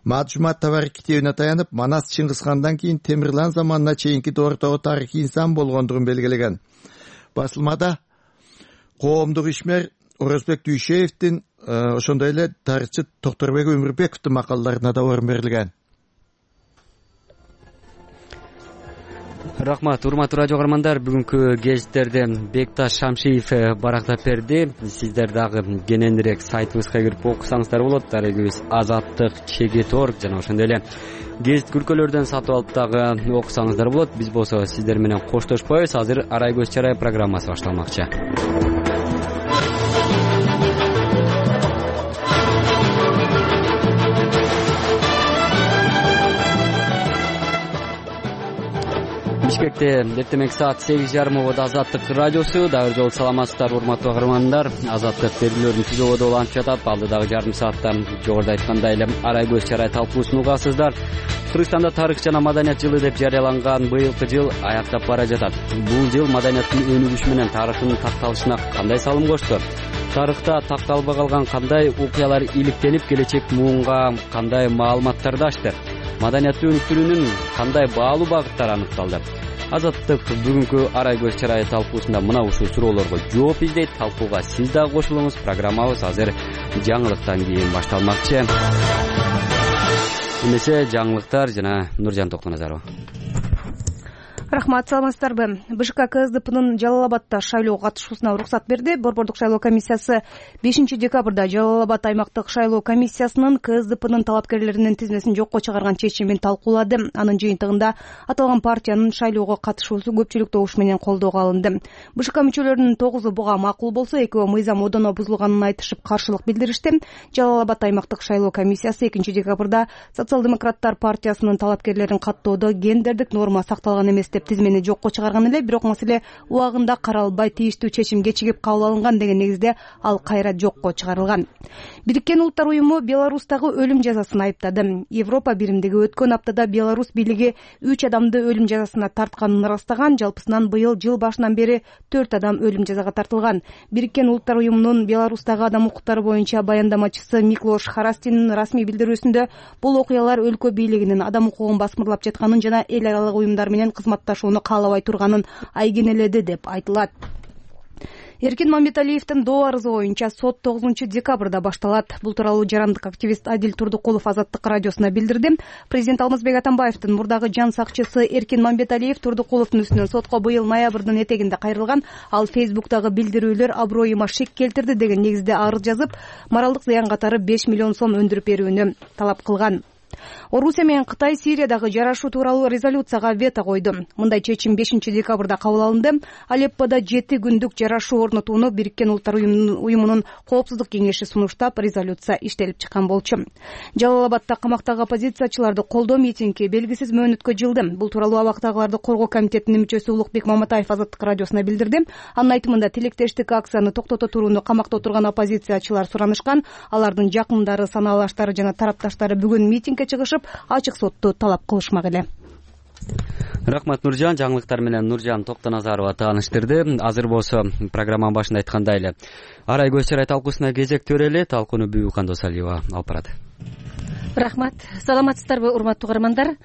Маджумат табары китебине таянып, Манас Чыңгызхандан кийин Темирлан заманына чейинки доордогу тарыхый инсан болгондугун белгилеген. Басылмада коомдук ишмер Орозбек Дүйшеевдин, ошондой эле тарыхчы Токторбек Өмүрбековдун макалаларына да орун берилген. Рахмат, урматтуу радио каармандар, бүгүнкү гезиттерди Бекташ Шамшиев барактап берди. Сиздер дагы кененирээк сайтыбызга кирип окусаңыздар болот. Дарегибиз Азаттык, Чегет точка орг жана ошондой эле гезит күркөлөрдөн сатып алып дагы окусаңыздар болот. Биз болсо сиздер менен коштошпойбуз. Азыр Арай көз чарай программасы башталмакчы. Бишкекте эртемек саат сегиз жарым ободо Азаттык радиосу. Дагы жолу саламатсыздар урматтуу каармандар. Азаттык берүүлөрүн түз ободо улантып жатат. Алдыдагы жарым саатта жогоруда айткандай эле Арай көз чарай талкуусун угасыздар. Кыргызстанда тарых жана маданият жылы деп жарыяланган быйылкы жыл аяктап бара жатат. Бул жыл маданияттын өнүгүшү менен тарыхтын такталышына кандай салым кошту? Тарыхта такталбай калган кандай окуялар иликтенип, келечек муунга кандай маалыматтарды ачты? Маданиятты өнүктүрүүнүн кандай баалуу багыттары аныкталды? Азаттык бүгүнкү Арай көз чарай талкуусунда мына ушул суроолорго жооп издейт. Талкууга сиз дагы кошулуңуз. Программабыз азыр жаңылыктан кийин башталмакчы. Эмесе жаңылыктар жана Нуржан Токтоназарова. Рахмат, саламатсыздарбы? БШК КСДПнын Жалал Абадта шайлоого катышуусуна уруксат берди. Борбордук шайлоо комиссиясы бешинчи декабрда Жалал Абад аймактык шайлоо комиссиясынын КСДПнын талапкерлеринин тизмесин жокко чыгарган чечимин талкуулады. Анын жыйынтыгында аталган партиянын шайлоого катышуусу көпчүлүк добуш менен колдоого алынды. БШК мүчөлөрүнүн тогузу буга макул болсо, экөө мыйзам одоно бузулганын айтышып каршылык билдиришти. Жалал Абад аймактык шайлоо комиссиясы экинчи декабрда социал-демократтар партиясынын талапкерлерин каттоодо гендердик норма сакталган эмес деп тизмени жокко чыгарган эле, бирок маселе убагында каралбай тийиштүү чечим кечигип кабыл алынган деген негизде ал кайра жокко чыгарылган. Бириккен Улуттар уюму Беларустагы өлүм жазасын айыптады. Европа биримдиги өткөн аптада Беларусь бийлиги үч адамды өлүм жазасына тартканын ырастаган. Жалпысынан быйыл жыл башынан бери төрт адам өлүм жазага тартылган. Бириккен Улуттар уюмунун Беларустагы адам укуктары боюнча баяндамачысы Миклош Харастинин расмий билдирүүсүндө бул окуялар өлкө бийлигинин адам укугун басмырлап жатканын жана эл аралык уюмдар менен кызматташууну каалабай турганын айгинеледи деп айтылат. Эркин Мамбеталиевдин доо арызы боюнча сот тогузунчу декабрда башталат. Бул тууралуу жарандык активист Адил Турдукулов Азаттык радиосуна билдирди. Президент Алмазбек Атамбаевдин мурдагы жан сакчысы Эркин Мамбеталиев Турдукуловдун үстүнөн сотко быйыл ноябрдын этегинде кайрылган. Ал Фейсбуктагы билдирүүлөр аброюма шек келтирди деген негизде арыз жазып, моралдык зыян катары беш миллион сом өндүрүп берүүнү талап кылган. Орусия менен Кытай Сириядагы жарашуу тууралуу резолюцияга вето койду. Мындай чечим бешинчи декабрда кабыл алынды. Алеппода жети күндүк жарашуу орнотууну Бириккен Улуттар уюмунун коопсуздук кеңеши сунуштап, резолюция иштелип чыккан болчу. Жалал Абадта камактагы оппозициячыларды колдоо митинги белгисиз мөөнөткө жылды. Бул тууралуу абактагыларды коргоо комитетинин мүчөсү Улукбек Маматаев Азаттык радиосуна билдирди. Анын айтымында тилектештик акцияны токтото турууну камакта отурган оппозициячылар суранышкан. Алардын жакындары, санаалаштары жана тарапташтары бүгүн митингге чыгышып, ачык сотту талап кылышмак эле. Рахмат, Нуржан. Жаңылыктар менен Нуржан Токтоназарова тааныштырды. Азыр болсо программанын башында айткандай эле Арай көз чарай талкуусуна кезек төрөлү. Талкууну Бүбү Кандосалиева алып барат. Рахмат. Саламатсыздарбы, урматтуу каармандар?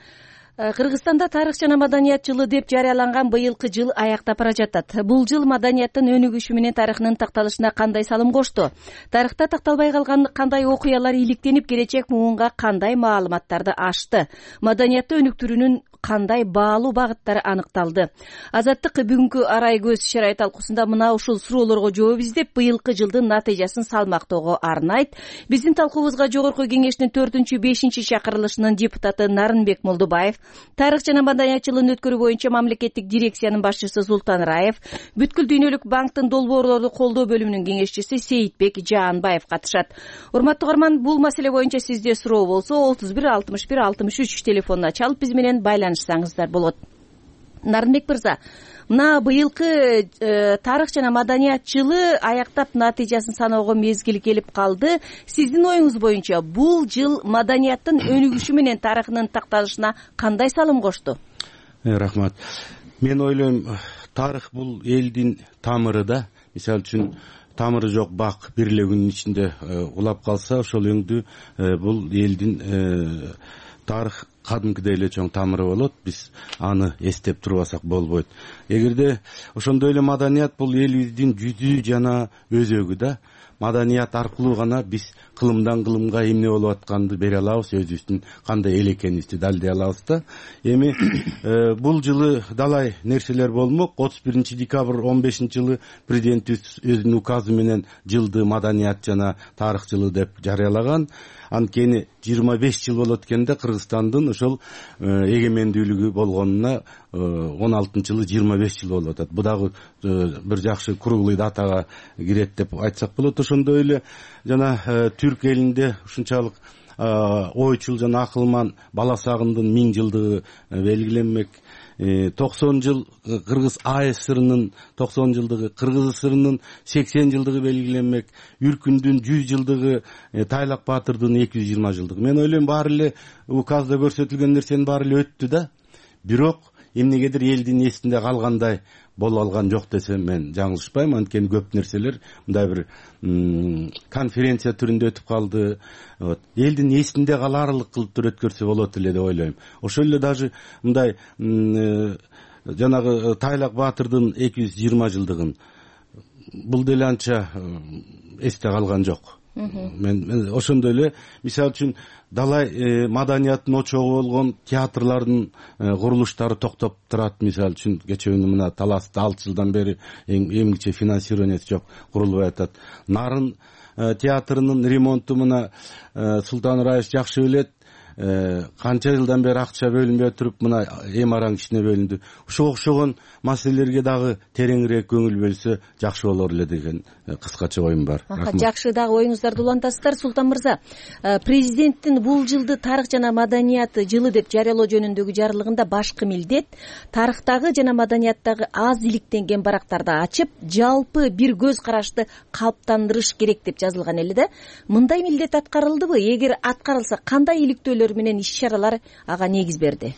Кыргызстанда тарых жана маданият жылы деп жарыяланган быйылкы жыл аяктап бара жатат. Бул жыл маданияттын өнүгүшү менен тарыхынын такталышына кандай салым кошту? Тарыхта такталбай калган кандай окуялар иликтенип, келечек муунга кандай маалыматтарды ачты? Маданиятты өнүктүрүүнүн кандай баалуу багыттары аныкталды. Азаттык бүгүнкү арай көз чарай талкуусунда мына ушул суроолорго жооп издеп, быйылкы жылдын натыйжасын салмактоого арнайт. Биздин талкуубузга жогорку кеңештин төртүнчү бешинчи чакырылышынын депутаты Нарынбек Молдубаев, тарых жана маданият жылын өткөрүү боюнча мамлекеттик дирекциянын башчысы Султан Раев, Бүткүл дүйнөлүк банктын долбоорлорду колдоо бөлүмүнүн кеңешчиси Сейитбек Жаанбаев катышат. Урматтуу угарман, бул маселе боюнча сизде суроо болсо отуз бир алтымыш бир алтымыш үч телефонуна чалып биз менен байланышсаңыздар болот. Нарынбек мырза, мына быйылкы э, тарых жана маданият жылы аяктап натыйжасын саноого мезгил келип калды. Сиздин оюңуз боюнча бул жыл маданияттын өнүгүшү менен тарыхынын такталышына кандай салым кошту? Э, рахмат. Мен ойлойм, тарых бул элдин тамыры да. Мисалы үчүн тамыры жок бак бир эле күнүн ичинде улап калса, ошол өңдү бул элдин тарых кадимкидей эле чоң тамыры болот. Биз аны эстеп турбасак болбойт. Эгерде ошондой эле маданият бул элибиздин жүзү жана өзөгү да. Маданият аркылуу гана биз кылымдан кылымга эмне болуп атканды бере алабыз, өзүбүздүн кандай эл экенибизди далилдей алабыз да. Эми бул жылы далай нерселер болмок. отуз биринчи декабрь он бешинчи жылы президентибиз өзүнүн указы менен жылды маданият жана тарых жылы деп жарыялаган. Анткени жыйырма беш жыл болот экенде Кыргызстандын ошол эгемендүүлүгү болгонуна он алтынчы жылы жыйырма беш жыл болуп атат. Бу дагы бир жакшы круглый датага кирет деп айтсак болот. Ошондой эле жана түрк элинде ушунчалык ойчул жана акылман бала сагындын миң жылдыгы белгиленмек. токсон жыл Кыргыз АСРнын токсон жылдыгы, Кыргыз ССРнын сексен жылдыгы белгиленмек, Үркүндүн жүз жылдыгы, Тайлак Баатырдын эки жүз жыйырма жылдыгы. Мен ойлойм, баары эле указда көрсөтүлгөн нерсенин баары эле өттү да. Бирок эмнегедир элдин эсинде калгандай боло алган жок десем мен жаңылышпайм. Анткени көп нерселер мындай бир конференция түрүндө өтүп калды. Вот. Элдин эсинде калаарлык кылып өткөрсө болот эле деп ойлойм. Ошол эле даже мындай жанагы Тайлак Баатырдын эки жүз жыйырма жылдыгын бул деле анча эсте калган жок. Мен ошондой эле мисалы үчүн далай маданияттын очогу болгон театрлардын курулуштары токтоп турат. Мисалы үчүн кечээ күнү мына Таласта алты жылдан бери эмгиче финансированиясы жок, курулбай атат. Нарын театрынын ремонту мына Султан Раев жакшы билет. Канча жылдан бери акча бөлүнбөй туруп мына эми араң ичине бөлүндү. Ошого окшогон маселелерге дагы тереңирээк көңүл бөлсө жакшы болор эле деген кыскача оюм бар. Жакшы, дагы оюңуздарды улантасыздар. Султан мырза, президенттин бул жылды тарых жана маданият жылы деп жарыялоо жөнүндөгү жарлыгында башкы милдет тарыхтагы жана маданияттагы аз иликтенген барактарды ачып, жалпы бир көз карашты калыптандырыш керек деп жазылган эле да. Мындай милдет аткарылдыбы? Эгер аткарылса, кандай иликтөөлөр менен иш-чаралар ага негиз берди?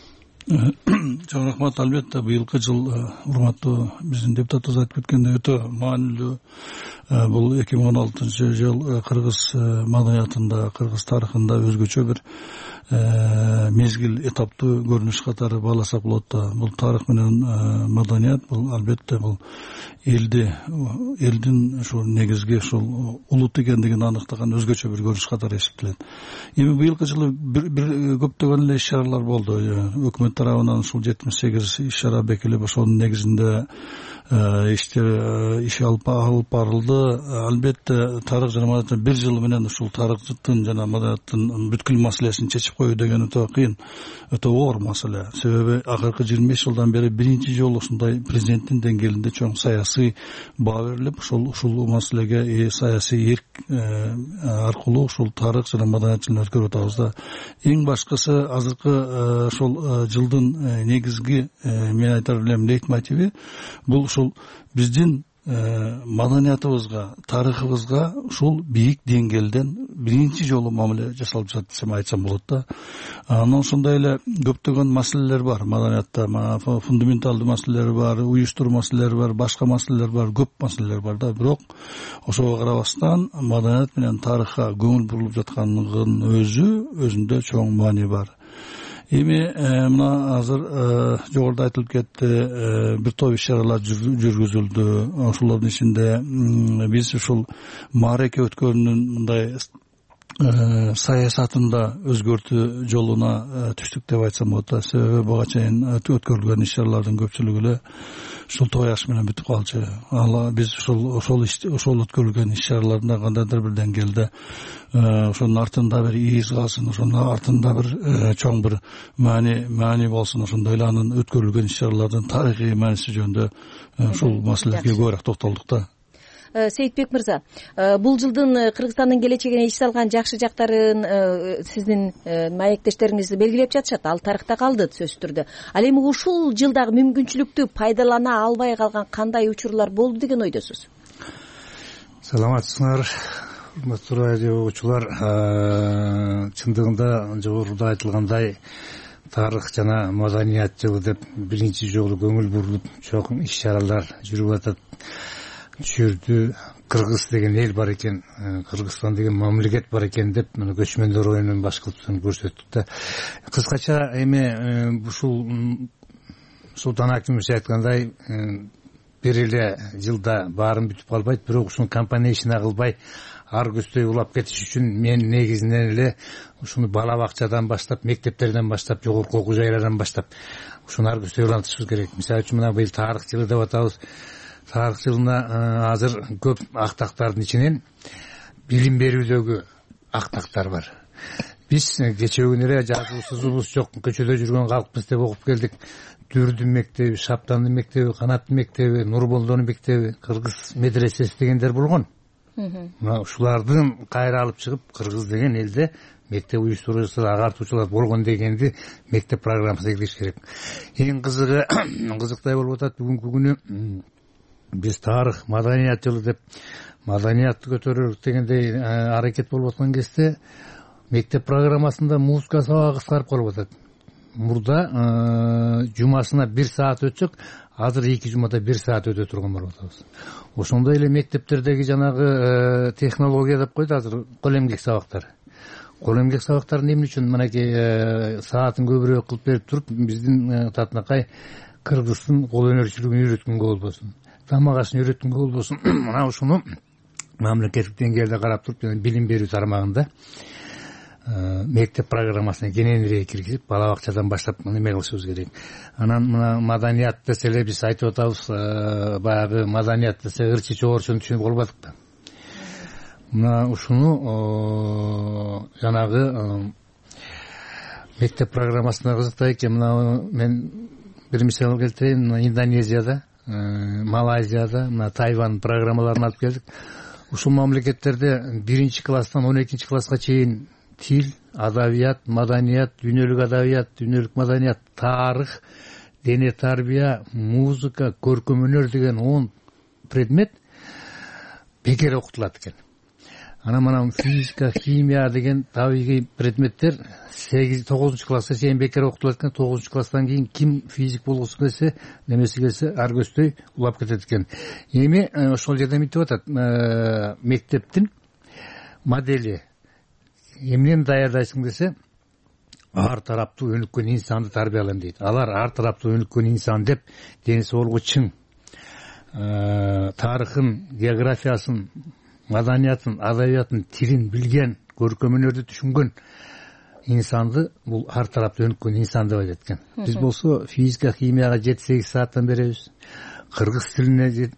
Чоң рахмат. Албетте быйылкы жыл, урматтуу биздин депутатыбыз айтып кеткендей, өтө маанилүү. Бул эки миң он алтынчы жыл Кыргыз маданиятында, Кыргыз тарыхында өзгөчө бир мезгил, этаптуу көрүнүш катары бааласак болот да. Бул тарых менен маданият, бул албетте бул элди, элдин ушул негизги ушул улут экендигин аныктаган өзгөчө бир көрүнүш катары эсептелет. Эми быйылкы жылы бир, бир көптөгөн эле иш-чаралар болду. Өкмөт тарабынан ушул жетимиш сегиз иш-чара бекилип, ошонун негизинде иштер иш алып барылды. Албетте тарых жана маданият бир жыл менен ушул тарыхтын жана маданияттын бүткүл маселесин чечип коюу деген өтө кыйын, өтө оор маселе. Себеби акыркы жыйырма беш жылдан бери биринчи жолу ушундай президенттин деңгээлинде чоң саясий баа берилип, ушул ушул маселеге саясий эрк аркылуу ушул тарых жана маданият жылын өткөрүп атабыз да. Эң башкысы азыркы ошол жылдын негизги мен айтар элем лейтмотиви бул ушул биздин маданиятыбызга, тарыхыбызга ушул бийик деңгээлден биринчи жолу мамиле жасалып жатат десем айтсам болот да. Анан ошондой эле көптөгөн маселелер бар маданиятта, фундаменталдуу маселелер бар, уюштуруу маселелери бар, башка маселелер бар, көп маселелер бар да. Бирок ошого карабастан маданият менен тарыхка көңүл бурулуп жаткандыгынын өзү өзүндө чоң маани бар. Эми мына азыр жогоруда айтылып кетти, бир топ иш-чаралар жүргүзүлдү. Ошолордун ичинде биз ушул маареке өткөрүүнүн мындай саясатында өзгөртүү жолуна түштүк деп айтсам болот. Себеби буга чейин өткөрүлгөн иш чаралардын көпчүлүгү эле ушул той аш менен бүтүп калчу. Ал биз ошол ошол ошол өткөрүлгөн иш чараларда кандайдыр бир деңгээлде ошонун артында бир из калсын, ошонун артында бир чоң бир маани маани болсун. Ошондой эле анын өткөрүлгөн иш чаралардын тарыхый мааниси жөнүндө ушул маселелерге көбүрөөк токтолдук да. Сейитбек мырза, бул жылдын Кыргызстандын келечегине иш салган жакшы жактарын сиздин маектештериңиз белгилеп жатышат. Ал тарыхта калды сөзсүз түрдө. Ал эми ушул жылдагы мүмкүнчүлүктү пайдалана албай калган кандай учурлар болду деген ойдосуз? Саламатсыңар, урматтуу радио угуучулар. Чындыгында жогоруда айтылгандай тарых жана маданият жылы деп биринчи жолу көңүл бурулуп чоң иш чаралар жүрүп атат. Түшүрдү Кыргыз деген эл бар экен, Кыргызстан деген мамлекет бар экен деп мына көчмөндөр оюнун баш кылып көрсөттүк да. Кыскача эми ушул Султан Акимович айткандай бир эле жылда баарын бүтүп калбайт, бирок ушуну компания ишине кылбай ар көздөй улап кетиш үчүн мен негизинен эле ушуну бала бакчадан баштап, мектептерден баштап, жогорку окуу жайлардан баштап ушуну ар көздөй улантышыбыз керек. Мисалы үчүн мына быйыл тарых жылы деп атабыз. Тарых жылына азыр көп актактардын ичинен билим берүүдөгү актактар бар. Биз кечээ күнү эле жазуу сызуубуз жок, көчөдө жүргөн калкпыз деп окуп келдик. Дүрдүн мектеби, Шаптандын мектеби, Канаттын мектеби, Нурболдонун мектеби, Кыргыз медресеси дегендер болгон. Мына ушулардын кайра алып чыгып, Кыргыз деген элде мектеп уюштуруучулар, агартуучулар болгон дегенди мектеп программасына киргизиш керек. Эң кызыгы, кызыктай болуп атат бүгүнкү күнү биз тарых, маданият жылы деп маданиятты көтөрөлүк дегендей аракет болуп аткан кезде мектеп программасында музыка сабагы кыскарып калып атат. Мурда жумасына бир саат өтсөк, азыр эки жумада бир саат өтө турган болуп атабыз. Ошондой эле мектептердеги жанагы технология деп койду азыр кол эмгек сабактар. Кол эмгек сабактарын эмне үчүн мынакей саатын көбүрөөк кылып берип туруп, биздин татынакай кыргыздын кол өнөрчүлүгүн үйрөткөнгө болбосун, тамак ашын үйрөткөнгө болбосун. Мына ушуну мамлекеттик деңгээлде карап туруп, билим берүү тармагында мектеп программасына кененирээк киргизип, бала бакчадан баштап неме кылышыбыз керек. Анан мына маданият десе эле биз айтып атабыз, баягы маданият десе ырчы чогорчону түшүнүп албадык да. Мына ушуну жанагы мектеп программасына кызыктай экен. Мына мен бир мисал келтирейин. Индонезияда, Малайзияда, мына Тайвань программаларын алып келдик. Ушул мамлекеттерде биринчи класстан он экинчи класска чейин тил, адабият, маданият, дүйнөлүк адабият, дүйнөлүк маданият, тарых, дене тарбия, музыка, көркөм өнөр деген он предмет бекер окутулат экен. Анан мына физика, химия деген табигый предметтер сегиз тогузунчу класска чейин бекер окутулат экен. тогузунчу класстан кийин ким физик болгусу келсе, немеси келсе ар көздөй улап кетет экен. Эми ошол жерде мынтип атат, мектептин модели эмнени даярдайсың десе, ар тараптуу өнүккөн инсанды тарбиялайм дейт. Алар ар тараптуу өнүккөн инсан деп денеси болго чың, тарыхын, географиясын, маданиятын, адабиятын, тилин билген, көркөм өнөрдү түшүнгөн инсанды бул ар тараптуу өнүккөн инсан деп айтат экен. Биз болсо физика, химияга жети сегиз сааттан беребиз. Кыргыз тилине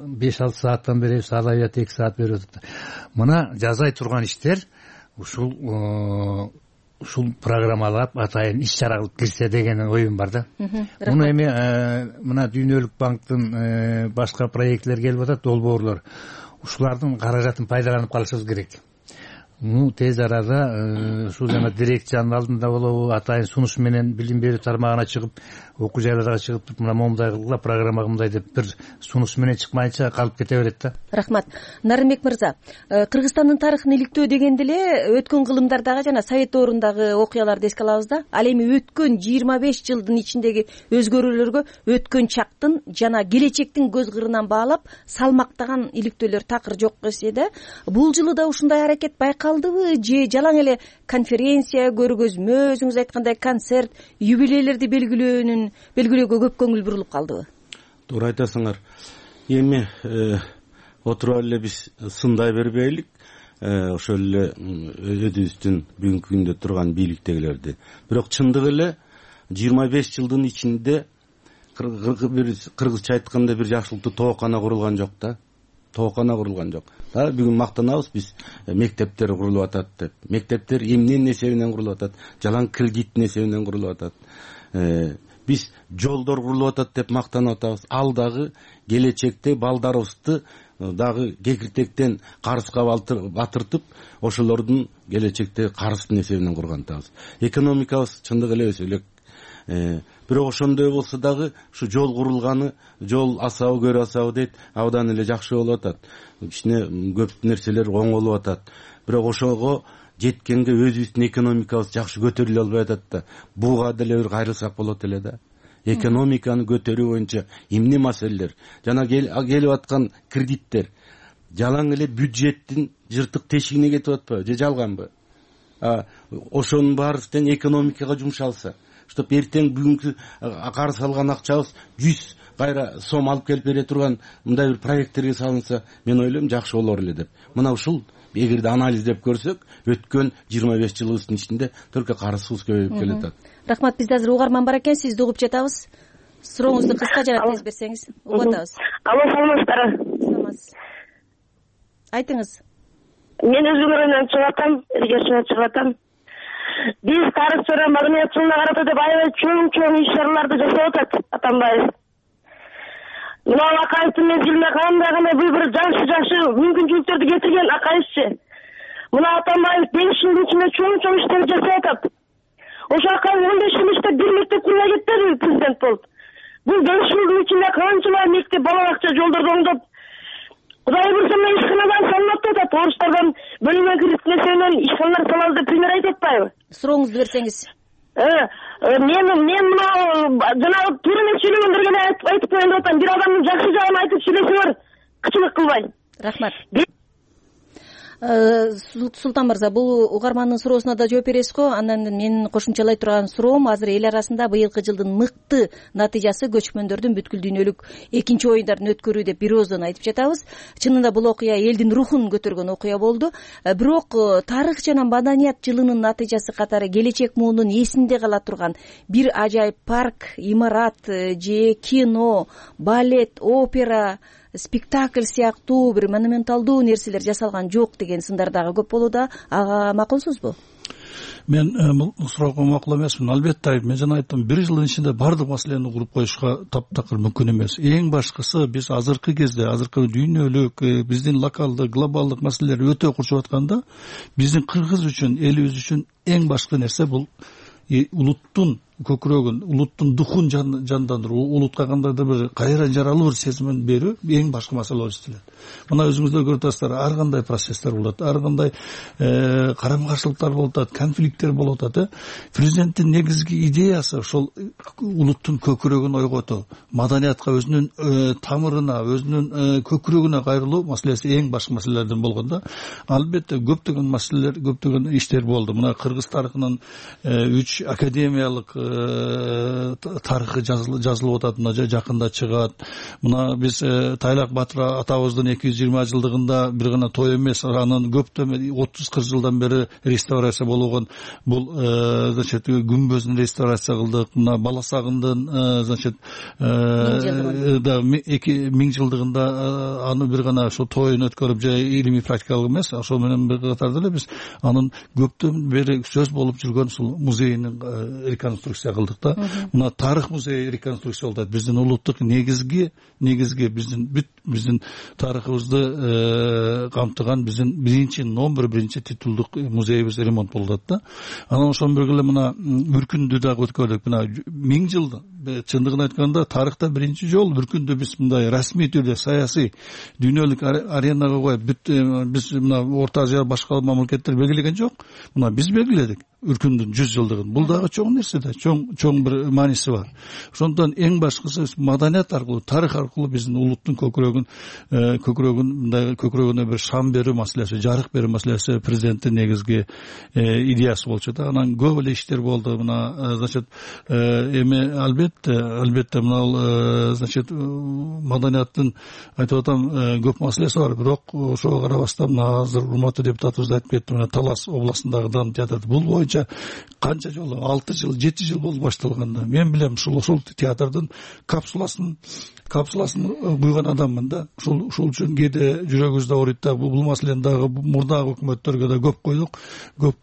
беш алты сааттан беребиз, адабият эки саат берип атат. Мына жазай турган иштер ушул ушул программалап атайын иш чара кылып кирсе деген оюм бар да. Муну эми мына Дүйнөлүк банктын башка проектлер келип атат, долбоорлор. Ушулардын каражатын пайдаланып калышыбыз керек. Ну тез арада ушул жана дирекциянын алдында болобу, атайын сунуш менен билим берүү тармагына чыгып, окуу жайларга чыгып туруп, мына момундай кылгыла, программа мындай деп бир сунуш менен чыкмайынча калып кете берет да. Рахмат. Нарынбек мырза, Кыргызстандын тарыхын иликтөө дегенде эле өткөн кылымдардагы жана Совет доорундагы окуяларды эске алабыз да. Ал эми өткөн жыйырма беш жылдын ичиндеги өзгөрүүлөргө өткөн чактын жана келечектин көз кырынан баалап салмактаган иликтөөлөр такыр жок десе да, бул жылы да ушундай аракет байкалдыбы же жалаң эле конференция, көргөзмө, өзүңүз айткандай концерт, юбилейлерди белгилөөнүн белгилөөгө көп көңүл бурулуп калдыбы? Туура айтасыңар. Эми отуруп эле биз сындай бербейлик. ошол эле өзүбүздүн бүгүнкү күндө турган бийликтегилерди. Бирок чындыгы эле жыйырма беш жылдын ичинде кыргызча айтканда бир жакшылыктуу тоокана курулган жок да. Тоокана курулган жок. Да бүгүн мактанабыз биз мектептер курулуп атат деп. Мектептер эмненин эсебинен курулуп атат? Жалаң кредиттин эсебинен курулуп атат. Биз жолдор курулуп атат деп мактанып атабыз. Ал дагы келечекте балдарыбызды дагы кекиртектен карызга батыртып, ошолордун келечекте карыздын эсебинен курган атабыз. Экономикабыз чындыгы эле өсө элек. Бирок ошондой болсо дагы ушу жол курулганы, жол асабы көрө асабы дейт, абдан эле жакшы болуп атат. Кичине көп нерселер оңолуп атат. Бирок ошого жеткенге өзүбүздүн экономикабыз жакшы көтөрүлө албай атат да. Буга деле бир кайрылсак болот эле да. Экономиканы көтөрүү боюнча эмне маселелер? Жана келип аткан кредиттер жалаң эле бюджеттин жыртык тешигине кетип атпайбы же жалганбы? Ошонун баарысынан экономикага жумшалса, чтоб эртең бүгүнкү карыз алган акчабыз жүз кайра сом алып келип бере турган мындай бир проекттерге салынса, мен ойлойм жакшы болор эле деп. Мына ушул эгерде анализдеп көрсөк, өткөн жыйырма беш жылыбыздын ичинде только карызыбыз көбөйүп келатат. Рахмат, бизде азыр угарман бар экен, сизди угуп жатабыз. Сурооңузду кыска жана тез берсеңиз угуп атабыз. Алло, саламатсыздарбы? Саламатсыз. Айтыңыз. Мен өзүм районунан чыгып атам, Эргешевден чыгып атам. Биз тарых жана маданият жылына карата деп аябай чоң-чоң иш-чараларды жасап атат Атамбаев. Мына Акаевдин мезгилинде кандай гана бир жакшы-жакшы мүмкүнчүлүктөрдү кетирген Акаевчи. Мына Атамбаев беш жылдын ичинде чоң-чоң иштерди жасап атат. Ошо Акаев он беш жыл иштеп бир мектеп курула кетпедиби президент болуп? Бул беш жылдын ичинде канчалар мектеп, бала бакча, жолдорду оңдоп, Кудай буйрса ишканалар салынып атат. Орустардан бөлүнгөн кредиттин эсебинен ишканалар салабыз деп пример айтып атпайбы? Сурооңузду берсеңиз. Мен мен мына жанагы туура эмес сүйлөгөндөргө эле айтып коеюн деп атам. Бир адамдын жакшы жагын айтып сүйлөсөңөр, кычылык кылбай. Рахмат. Султан мырза, бул угармандын суроосуна да жооп бересиз го. Андан менин кошумчалай турган суроом азыр эл арасында быйылкы жылдын мыкты натыйжасы көчмөндөрдүн бүткүл дүйнөлүк экинчи оюндарын өткөрүү деп бир ооздон айтып жатабыз. Чынында бул окуя элдин рухун көтөргөн окуя болду. Бирок тарых жана маданият жылынын натыйжасы катары келечек муунун эсинде кала турган бир ажайып парк, имарат же кино, балет, опера, спектакль сыяктуу бир монументалдуу нерселер жасалган жок деген сындар дагы көп болууда. Ага макулсузбу? Мен бул суроого макул эмесмин. Албетте, мен жана айттым, бир жылдын ичинде баардык маселени куруп коюшка таптакыр мүмкүн эмес. Эң башкысы биз азыркы кезде, азыркы дүйнөлүк, биздин локалдык, глобалдык маселелер өтө курчуп атканда, биздин кыргыз үчүн, элибиз үчүн эң башкы нерсе бул улуттун көкүрөгүн, улуттун духун жандандыруу, улутка кандайдыр бир кайра жаралуу бир сезимин берүү эң башкы маселе болуп эсептелет. Мына өзүңүздөр көрүп атасыздар, ар кандай процесстер болот, ар кандай карама каршылыктар болуп атат, конфликттер болуп атат. Президенттин негизги идеясы ошол улуттун көкүрөгүн ойготуу, маданиятка, өзүнүн тамырына, өзүнүн көкүрөгүнө кайрылуу маселеси эң башкы маселелерден болгондо, албетте көптөгөн маселелер, көптөгөн иштер болду. Мына кыргыз тарыхынын үч академиялык тарыхы жазылып атат, мына жакында чыгат. Мына биз Тайлак Батыр атабыздын эки жүз жыйырма жылдыгында бир гана той эмес, анын көптөн отуз кырк жылдан бери реставрация болгон бул значит күмбөзүн реставрация кылдык. Мына Баласагындын значит миң жылдыгында аны бир гана ошо тоюн өткөрүп, же илимий практикалык эмес, ошол менен бир катарда эле биз анын көптөн бери сөз болуп жүргөн ушул музейинин реконструкция кылдык да. Мына тарых музейи реконструкция болуп атат. Биздин улуттук негизги негизги биздин бүт биздин тарыхыбызды камтыган биздин биринчи номер биринчи титулдук музейибиз ремонт болуп атат да. Анан ошон бирге эле мына Бүркүндү дагы өткөрдүк. Мына миң жыл чындыгын айтканда тарыхта биринчи жолу Бүркүндү биз мындай расмий түрдө саясий дүйнөлүк аренага коюп, биз мына Орто Азия башка мамлекеттер белгилеген жок. Мына биз белгиледик Үркүндүн жүз жылдыгын. Бул дагы чоң нерсе да, чоң чоң бир мааниси бар. Ошондон эң башкысы маданият аркылуу, тарых аркылуу биздин улуттун көкүрөгүн көкүрөгүн мындай көкүрөгүнө бир шам берүү маселеси, жарык берүү маселеси президенттин негизги идеясы болчу да. Анан көп эле иштер болду. Мына значит эми албетте албетте албетте мына значит маданияттын айтып атам көп маселеси бар, бирок ошого карабастан мына азыр урматтуу депутатыбыз айтып кетти, мына Талас областындагы драма театры бул боюнча канча жолу алты жыл жети жыл болду башталганда. Мен билем ушул ушул театрдын капсуласын капсуласын куйган адаммын да. Ушул ушул үчүн кээде жүрөгүбүз да ооруйт да. Бул маселени дагы мурдагы өкмөттөргө да көп койдук, көп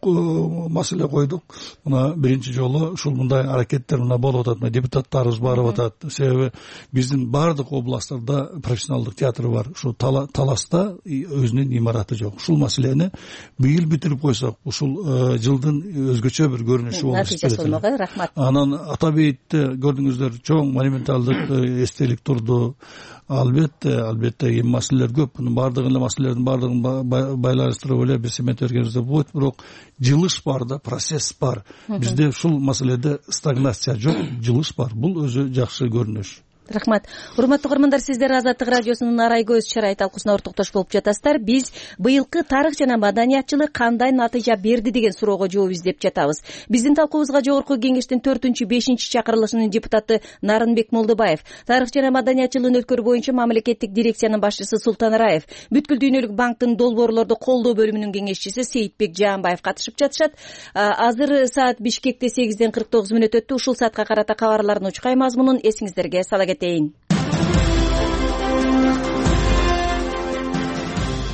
маселе койдук. Мына биринчи жолу ушул мындай аракеттер мына болуп атат, депутаттарыбыз барып атат. Себеби биздин баардык областтарда профессионалдык театр бар. Ушул Таласта өзүнүн имараты жок. Ушул маселени быйыл бүтүрүп койсок, ушул жылдын өзгөчө бир көрүнүшү болуп чыгат. Рахмат. Анан Атабейитте көрдүңүздөр, чоң монументалдык эстелик турду. Албетте, албетте эми маселелер көп. Мунун баардыгын эле маселелердин баардыгын байланыштырып эле бир семет бергенибизде болот, бирок жылыш бар да, процесс бар. Бизде ушул маселеде стагнация жок, жылыш бар. Бул өзү жакшы көрүнүш. Рахмат. Урматтуу көрөрмандар, сиздер Азаттык радиосунун арай көз чарай талкуусуна ортоктош болуп жатасыздар. Биз быйылкы тарых жана маданиятчылык кандай натыйжа берди деген суроого жооп издеп жатабыз. Биздин талкуубузга жогорку кеңештин төртүнчү бешинчи чакырылышынын депутаты Нарынбек Молдобаев, тарых жана маданиятчылыгын өткөрүү боюнча мамлекеттик дирекциянын башчысы Султан Раев, Бүткүл дүйнөлүк банктын долбоорлорду колдоо бөлүмүнүн кеңешчиси Сейитбек Жаанбаев катышып жатышат. Азыр саат Бишкекте сегизден кырк тогуз мүнөт өттү. Ушул саатка карата кабарлардын учкай мазмунун эсиңиздерге сала кетейин.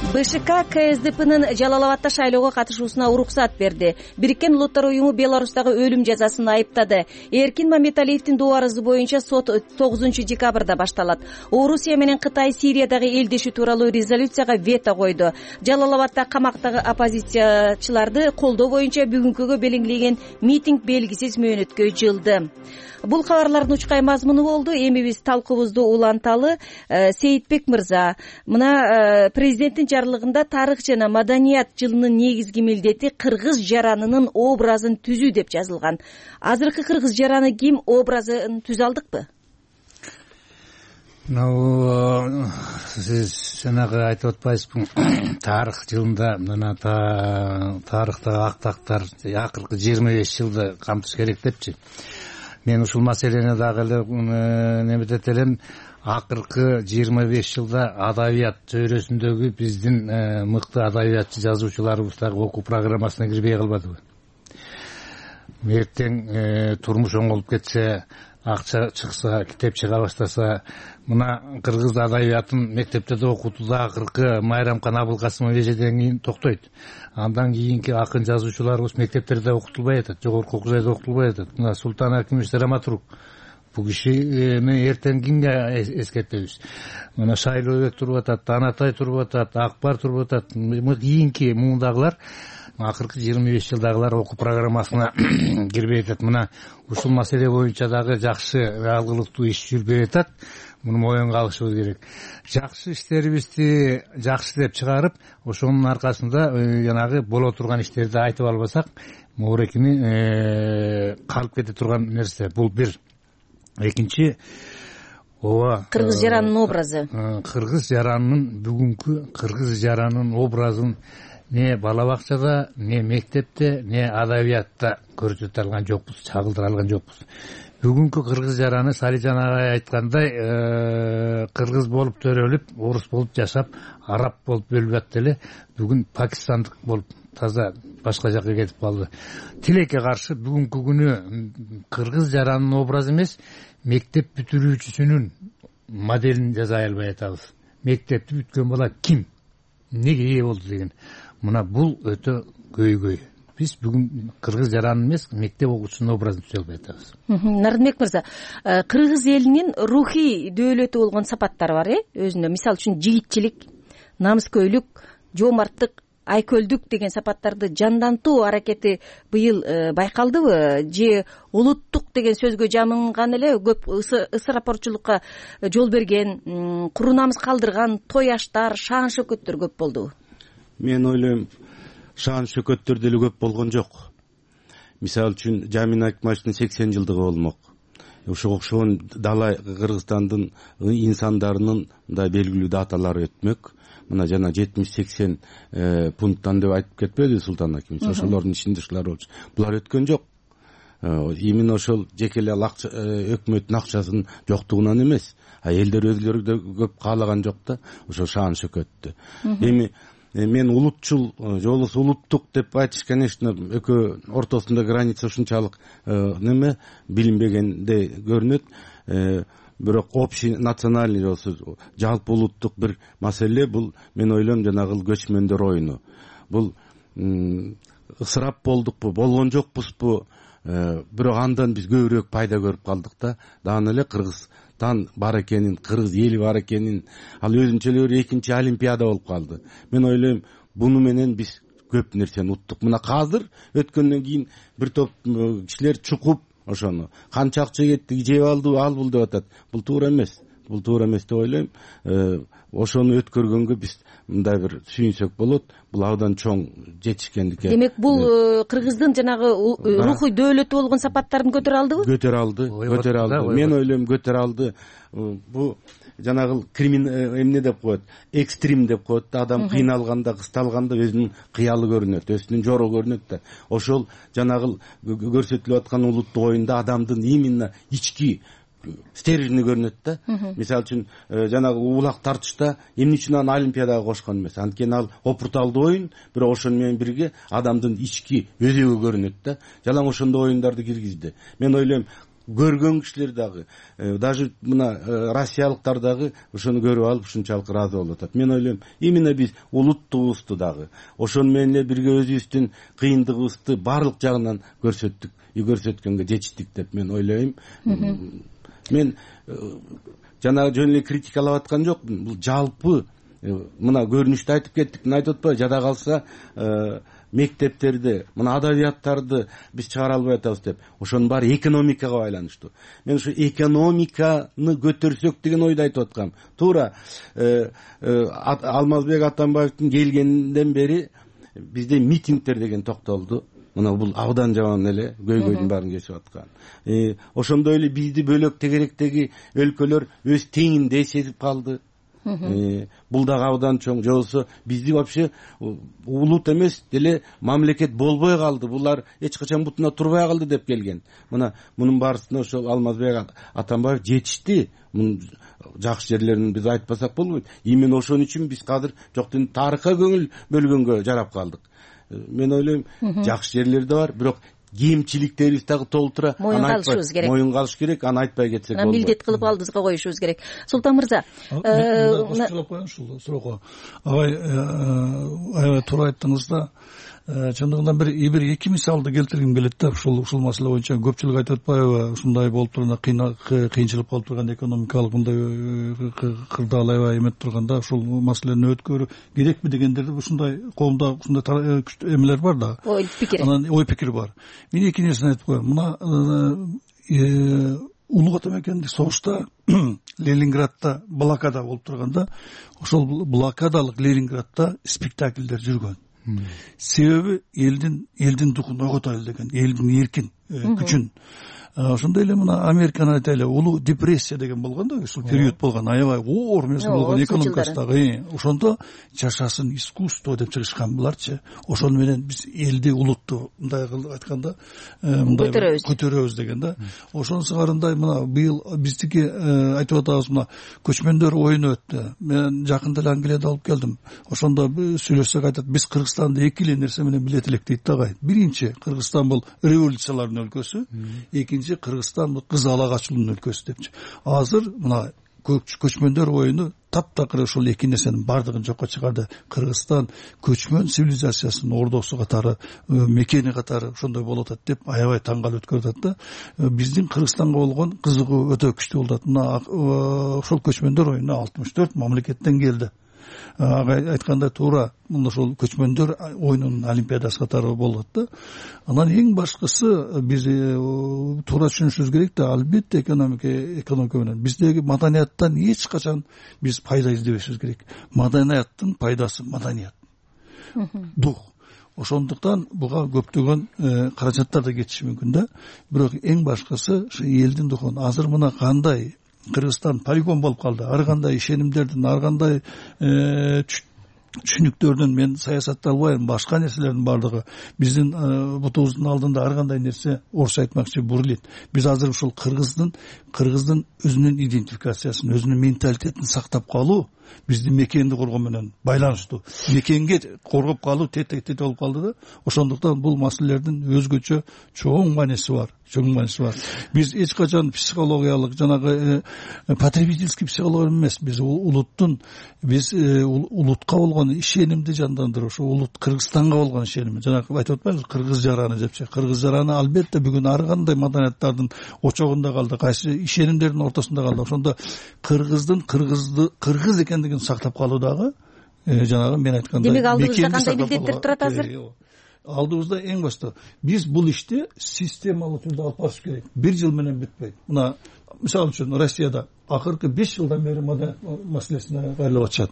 БШК КСДПнын Жалал Абадта шайлоого катышуусуна уруксат берди. Бириккен Улуттар уюму Беларустагы өлүм жазасын айыптады. Эркин Мамедалиевдин доо арызы боюнча сот тогузунчу декабрда башталат. Орусия менен Кытай Сириядагы элдешүү тууралуу резолюцияга вето койду. Жалал Абадта камактагы оппозициячыларды колдоо боюнча бүгүнкүгө белгиленген митинг белгисиз мөөнөткө жылды. Бул кабарлардын учкай мазмуну болду. Эми биз талкуубузду уланталы. Сейитбек мырза, мына президенттин жарлыгында тарых жана маданият жылынын негизги милдети кыргыз жаранынын образын түзүү деп жазылган. Азыркы кыргыз жараны ким, образын түзө алдыкпы? Ну, сиз жанагы айтып атпайсызбы, тарых жылында мына тарыхтагы актактар акыркы жыйырма беш жылды камтыш керек депчи. Мен ушул маселени дагы эле неметет элем. Акыркы жыйырма беш жылда адабият чөйрөсүндөгү биздин мыкты адабиятчы жазуучуларыбыз дагы окуу программасына кирбей калбадыбы? Эртең турмуш оңолуп кетсе, акча чыкса, китеп чыга баштаса, мына кыргыз адабиятын мектепте да окутууда акыркы Майрамкан Абылкасымов эжеден кийин токтойт. Андан кийинки акын жазуучуларыбыз мектептерде окутулбай атат, жогорку окуу жайда окутулбай атат. Мына Султан Акимович драматург. Бул кишини эртең кимге эскертебиз? Мына Шайлообек туруп атат, Танатай туруп атат, Акбар туруп атат. Кийинки мундагылар акыркы жыйырма беш жылдагылар окуу программасына кирбей атат. Мына ушул маселе боюнча дагы жакшы алгылыктуу иш жүрбөй атат. Муну моюнга алышыбыз керек. Жакшы иштерибизди жакшы деп чыгарып, ошонун аркасында жанагы боло турган иштерди айтып албасак, моорекини калып кете турган нерсе. Бул бир. Экинчи, ооба кыргыз жаранынын образы. Кыргыз жаранынын бүгүнкү кыргыз жаранынын образын не бала бакчада, не мектепте, не адабиятта көрсөтө алган жокпуз, чагылдыра алган жокпуз. Бүгүнкү кыргыз жараны Салижан агай айткандай, кыргыз болуп төрөлүп, орус болуп жашап, араб болуп бөлүп атты эле, бүгүн пакистандык болуп таза башка жака кетип калды. Тилекке каршы бүгүнкү күнү кыргыз жаранынын образы эмес, мектеп бүтүрүүчүсүнүн моделин жасай албай атабыз. Мектепти бүткөн бала ким? Неге ээ болду деген. Мына бул өтө көйгөй. Биз бүгүн кыргыз жаранын эмес, мектеп окуучусунун образын түзө албай атабыз. Нарынбек мырза, кыргыз элинин рухий дөөлөтү болгон сапаттары бар, э? Өзүндө, мисалы үчүн жигитчилик, намыскөйлүк, жоомарттык, айкөлдүк деген сапаттарды жандантуу аракети быйыл байкалдыбы? Же улуттук деген сөзгө жамынган эле көп ысырапорчулукка жол берген, куру намыс калдырган тояштар, шаан шөкөттөр көп болдубу? Мен ойлойм, шаан шөкөттөр деле көп болгон жок. Мисалы үчүн Жамин Акмачтын сексен жылдыгы болмок. Ошого окшогон дала Кыргызстандын инсандарынын мындай белгилүү даталары өтмөк. Мына жана жетимиш сексен пункттан деп айтып кетпеди Султан Акимович. Ошолордун ичинде ушулар болчу. Булар өткөн жок. именно ошол жеке эле өкмөттүн акчасынын жоктугунан эмес, а элдер өзүлөрү да көп каалаган жок да ошо шаан шөкөттү. Эми мен улутчул же болбосо улуттук деп айтыш, конечно, экөө ортосунда граница ушунчалык неме билинбегендей көрүнөт. Бирок общий национальный же болбосо жалпы улуттук бир маселе бул, мен ойлойм, жанагы көчмөндөр оюну. Бул ысырап болдукпу, болгон жокпузбу, бирок андан биз көбүрөөк пайда көрүп калдык да. Дагы эле Кыргызстан бар экенин, кыргыз эли бар экенин, ал өзүнчө эле бир экинчи олимпиада болуп калды. Мен ойлойм, буну менен биз көп нерсени уттук. Мына азыр өткөндөн кийин бир топ кишилер чукуп ошону канча акча кетти, жеп алды, ал бул деп атат. Бул туура эмес. Бул туура эмес деп ойлойм. Ошону өткөргөнгө биз мындай бир сүйүнсөк болот. Бул абдан чоң жетишкендик. Демек, бул Кыргыздын жанагы рухий дөөлөтү болгон сапаттарын көтөрө алдыбы? Көтөрө алды, көтөрө алды. Мен ойлойм, көтөрө алды. Бул жанагы кримин эмне деп коет, экстрим деп коет да. Адам кыйналганда, кысталганда өзүнүн кыялы көрүнөт, өзүнүн жору көрүнөт да. Ошол жанагы көрсөтүлүп аткан улуттук оюнда адамдын именно ички стержини көрүнөт да. Мисалы үчүн жанагы улак тартышта эмне үчүн аны олимпиадага кошкон эмес? Анткени ал опурталдуу оюн, бирок ошону менен бирге адамдын ички өзөгү көрүнөт да. Жалаң ошондой оюндарды киргизди. Мен ойлойм, көргөн кишилер дагы, даже мына россиялыктар дагы ошону көрүп алып ушунчалык ыраазы болуп атат. Мен ойлойм, именно биз улуттугубузду дагы ошону менен эле бирге өзүбүздүн кыйындыгыбызды баардык жагынан көрсөттүк, көрсөткөнгө жетиштик деп мен ойлойм. Мен жанагы жөн эле критикалап аткан жокмун. Бул жалпы мына көрүнүштү айтып кеттик. Мына айтып атпайбы, жада калса мектептерди, мына адабияттарды биз чыгара албай атабыз деп. Ошонун баары экономикага байланыштуу. Мен ушу экономиканы көтөрсөк деген ойду айтып аткам. Туура Алмазбек Атамбаевдин келгенден бери бизде митингдер деген токтолду. Мына бул абдан жаман эле көйгөйдүн баарын кесип аткан. Ошондой эле бизди бөлөк тегеректеги өлкөлөр өз теңинде сезип калды. Бул дагы абдан чоң. Же болбосо бизди вообще улут эмес деле мамлекет болбой калды. Булар эч качан бутуна турбай калды деп келген. Мына мунун баарысына ошол Алмазбек Атамбаев жетишти. Мунун жакшы жерлерин биз айтпасак болбойт. Именно ошон үчүн биз азыр жоктун тарыхка көңүл бөлгөнгө жарап калдык. Мен ойлойм, жакшы жерлер да бар, бирок кемчиликтерибиз дагы толтура. Моюн калышыбыз керек. Моюн калыш керек, аны айтпай кетсек болбойт. Милдет кылып алдыбызга коюшубуз керек. Султан мырза, кошколоп коеюн ушул суроого. Абай аябай туура айттыңыз да. Чындыгында бир бир эки мисалды келтиргим келет да. Ушул ушул маселе боюнча көпчүлүк айтып атпайбы, ушундай болуп турганда, кыйынчылык болуп турганда, экономикалык мындай кырдаал аябай эметип турганда ушул маселени өткөрүү керекпи дегендерди, ушундай коомдо ушундай эмелер бар да. Ой пикир. Анан ой пикир бар. Мен эки нерсени айтып коеюн. Мына Улуу Ата мекендик согушта Ленинградда блокада болуп турганда, ошол блокадалык Ленинградда спектакльдер жүргөн. Себеби элдин элдин духун ойготолу деген, элдин эркин күчүн. Ошондой эле мына Американы айтайлы, улуу депрессия деген болгон да, ушул период болгон, аябай оор нерсе болгон экономикасындагы. Ошондо жашасын искусство деп чыгышкан буларчы. Ошону менен биз элди, улутту мындай кылып айтканда, мындай көтөрөбүз деген да. Ошонусу карындай мына быйыл биздики айтып атабыз, мына көчмөндөр оюну өттү. Мен жакында эле Англияда алып келдим. Ошондо сүйлөшсөк айтат, биз Кыргызстанды эки эле нерсе менен билет элек дейт да агай. Биринчи, Кыргызстан бул революциялардын өлкөсү. Экинчи, Кыргызстан бул кыз ала качуунун өлкөсү депчи. Азыр мына көчмөндөр оюну таптакыр ошол эки нерсенин баардыгын жокко чыгарды. Кыргызстан көчмөн цивилизациясынын ордосу катары, мекени катары ошондой болуп атат деп аябай таң калып өткөрүп атат да. Биздин Кыргызстанга болгон кызыгуу өтө күчтүү болуп атат. Мына ошол көчмөндөр оюна алтымыш төрт мамлекеттен келди. Агай айткандай туура, мына ошол көчмөндөр оюнунун олимпиадасы катары болот да. Анан эң башкысы биз туура түшүнүшүбүз керек да, албетте экономика экономика менен биздеги маданияттан эч качан биз пайда издебешибиз керек. Маданияттын пайдасы маданият, дух. Ошондуктан буга көптөгөн каражаттар да кетиши мүмкүн да. Бирок эң башкысы ушу элдин духун. Азыр мына кандай Кыргызстан полигон болуп калды. Ар кандай ишенимдердин, ар кандай түшүнүктөрдөн мен саясатталбайм, башка нерселердин баардыгы биздин бутубуздун алдында ар кандай нерсе орусча айтмакчы бурулет. Биз азыр ушул кыргыздын кыргыздын өзүнүн идентификациясын, өзүнүн менталитетин сактап калуу биздин мекенди коргоо менен байланыштуу. Мекенге коргоп калуу тете-тете болуп калды да. Ошондуктан бул маселелердин өзгөчө чоң мааниси бар. Чоң мааниси бар. Биз эч качан психологиялык жанагы потребительский психология эмес. Биз улуттун биз улутка болгон ишенимди жандандыруу, ошо улут Кыргызстанга болгон ишеним. Жанагы айтып атпайбызбы, кыргыз жараны депчи. Кыргыз жараны албетте бүгүн ар кандай маданияттардын очогунда калды, кайсы ишенимдердин ортосунда калды. Ошондо кыргыздын кыргызды кыргыз экендигин сактап калуу дагы жанагы мен айткандай. Демек алдыбызда кандай милдеттер турат азыр? Алдыбызда эң башта биз бул ишти системалуу түрдө алып барыш керек. Бир жыл менен бүтпөйт. Мына мисалы үчүн Россияда акыркы беш жылдан бери маданият маселесине кайрылып атышат.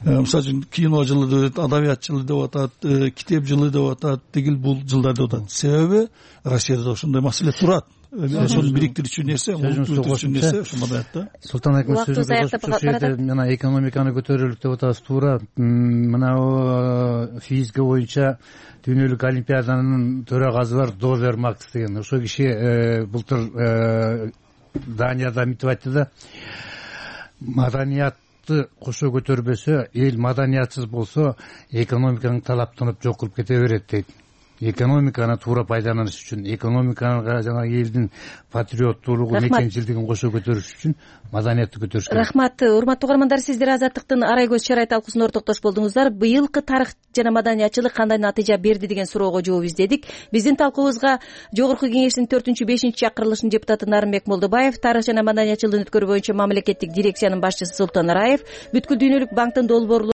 Мисалы үчүн кино жылы деп атат, адабият жылы деп атат, китеп жылы деп атат, тигил бул жылдар деп атат. Себеби Россияда ошондой маселе турат. Ошону бириктирүүчү нерсе, улуттуу нерсе ошо маданиятта. Султан аким сөзүн кошуп, мына экономиканы көтөрөлүк деп атасыз, туура. Мына физика боюнча дүйнөлүк олимпиаданын төрагасы бар Довер Макс деген. Ошол киши былтыр Данияда мынтип айтты да, маданиятты кошо көтөрбөсө, эл маданиятсыз болсо, экономиканын талаптанып жок кылып кете берет дейт. Экономиканы туура пайдаланыш үчүн, экономикага жана элдин патриоттуулугу, мекенчилдигин кошо көтөрүш үчүн маданиятты көтөрүш керек. Рахмат. Урматтуу угармандар, сиздер Азаттыктын арай көз чарай талкуусуна ортоктош болдуңуздар. Быйылкы тарых жана маданиятчылык кандай натыйжа берди деген суроого жооп издедик. Биздин талкуубузга Жогорку Кеңештин төртүнчү бешинчи чакырылышынын депутаты Нарымбек Молдобаев, тарых жана маданиятчылыгын өткөрүү боюнча мамлекеттик дирекциянын башчысы Султан Араев, бүткүл дүйнөлүк банктын долбоорлу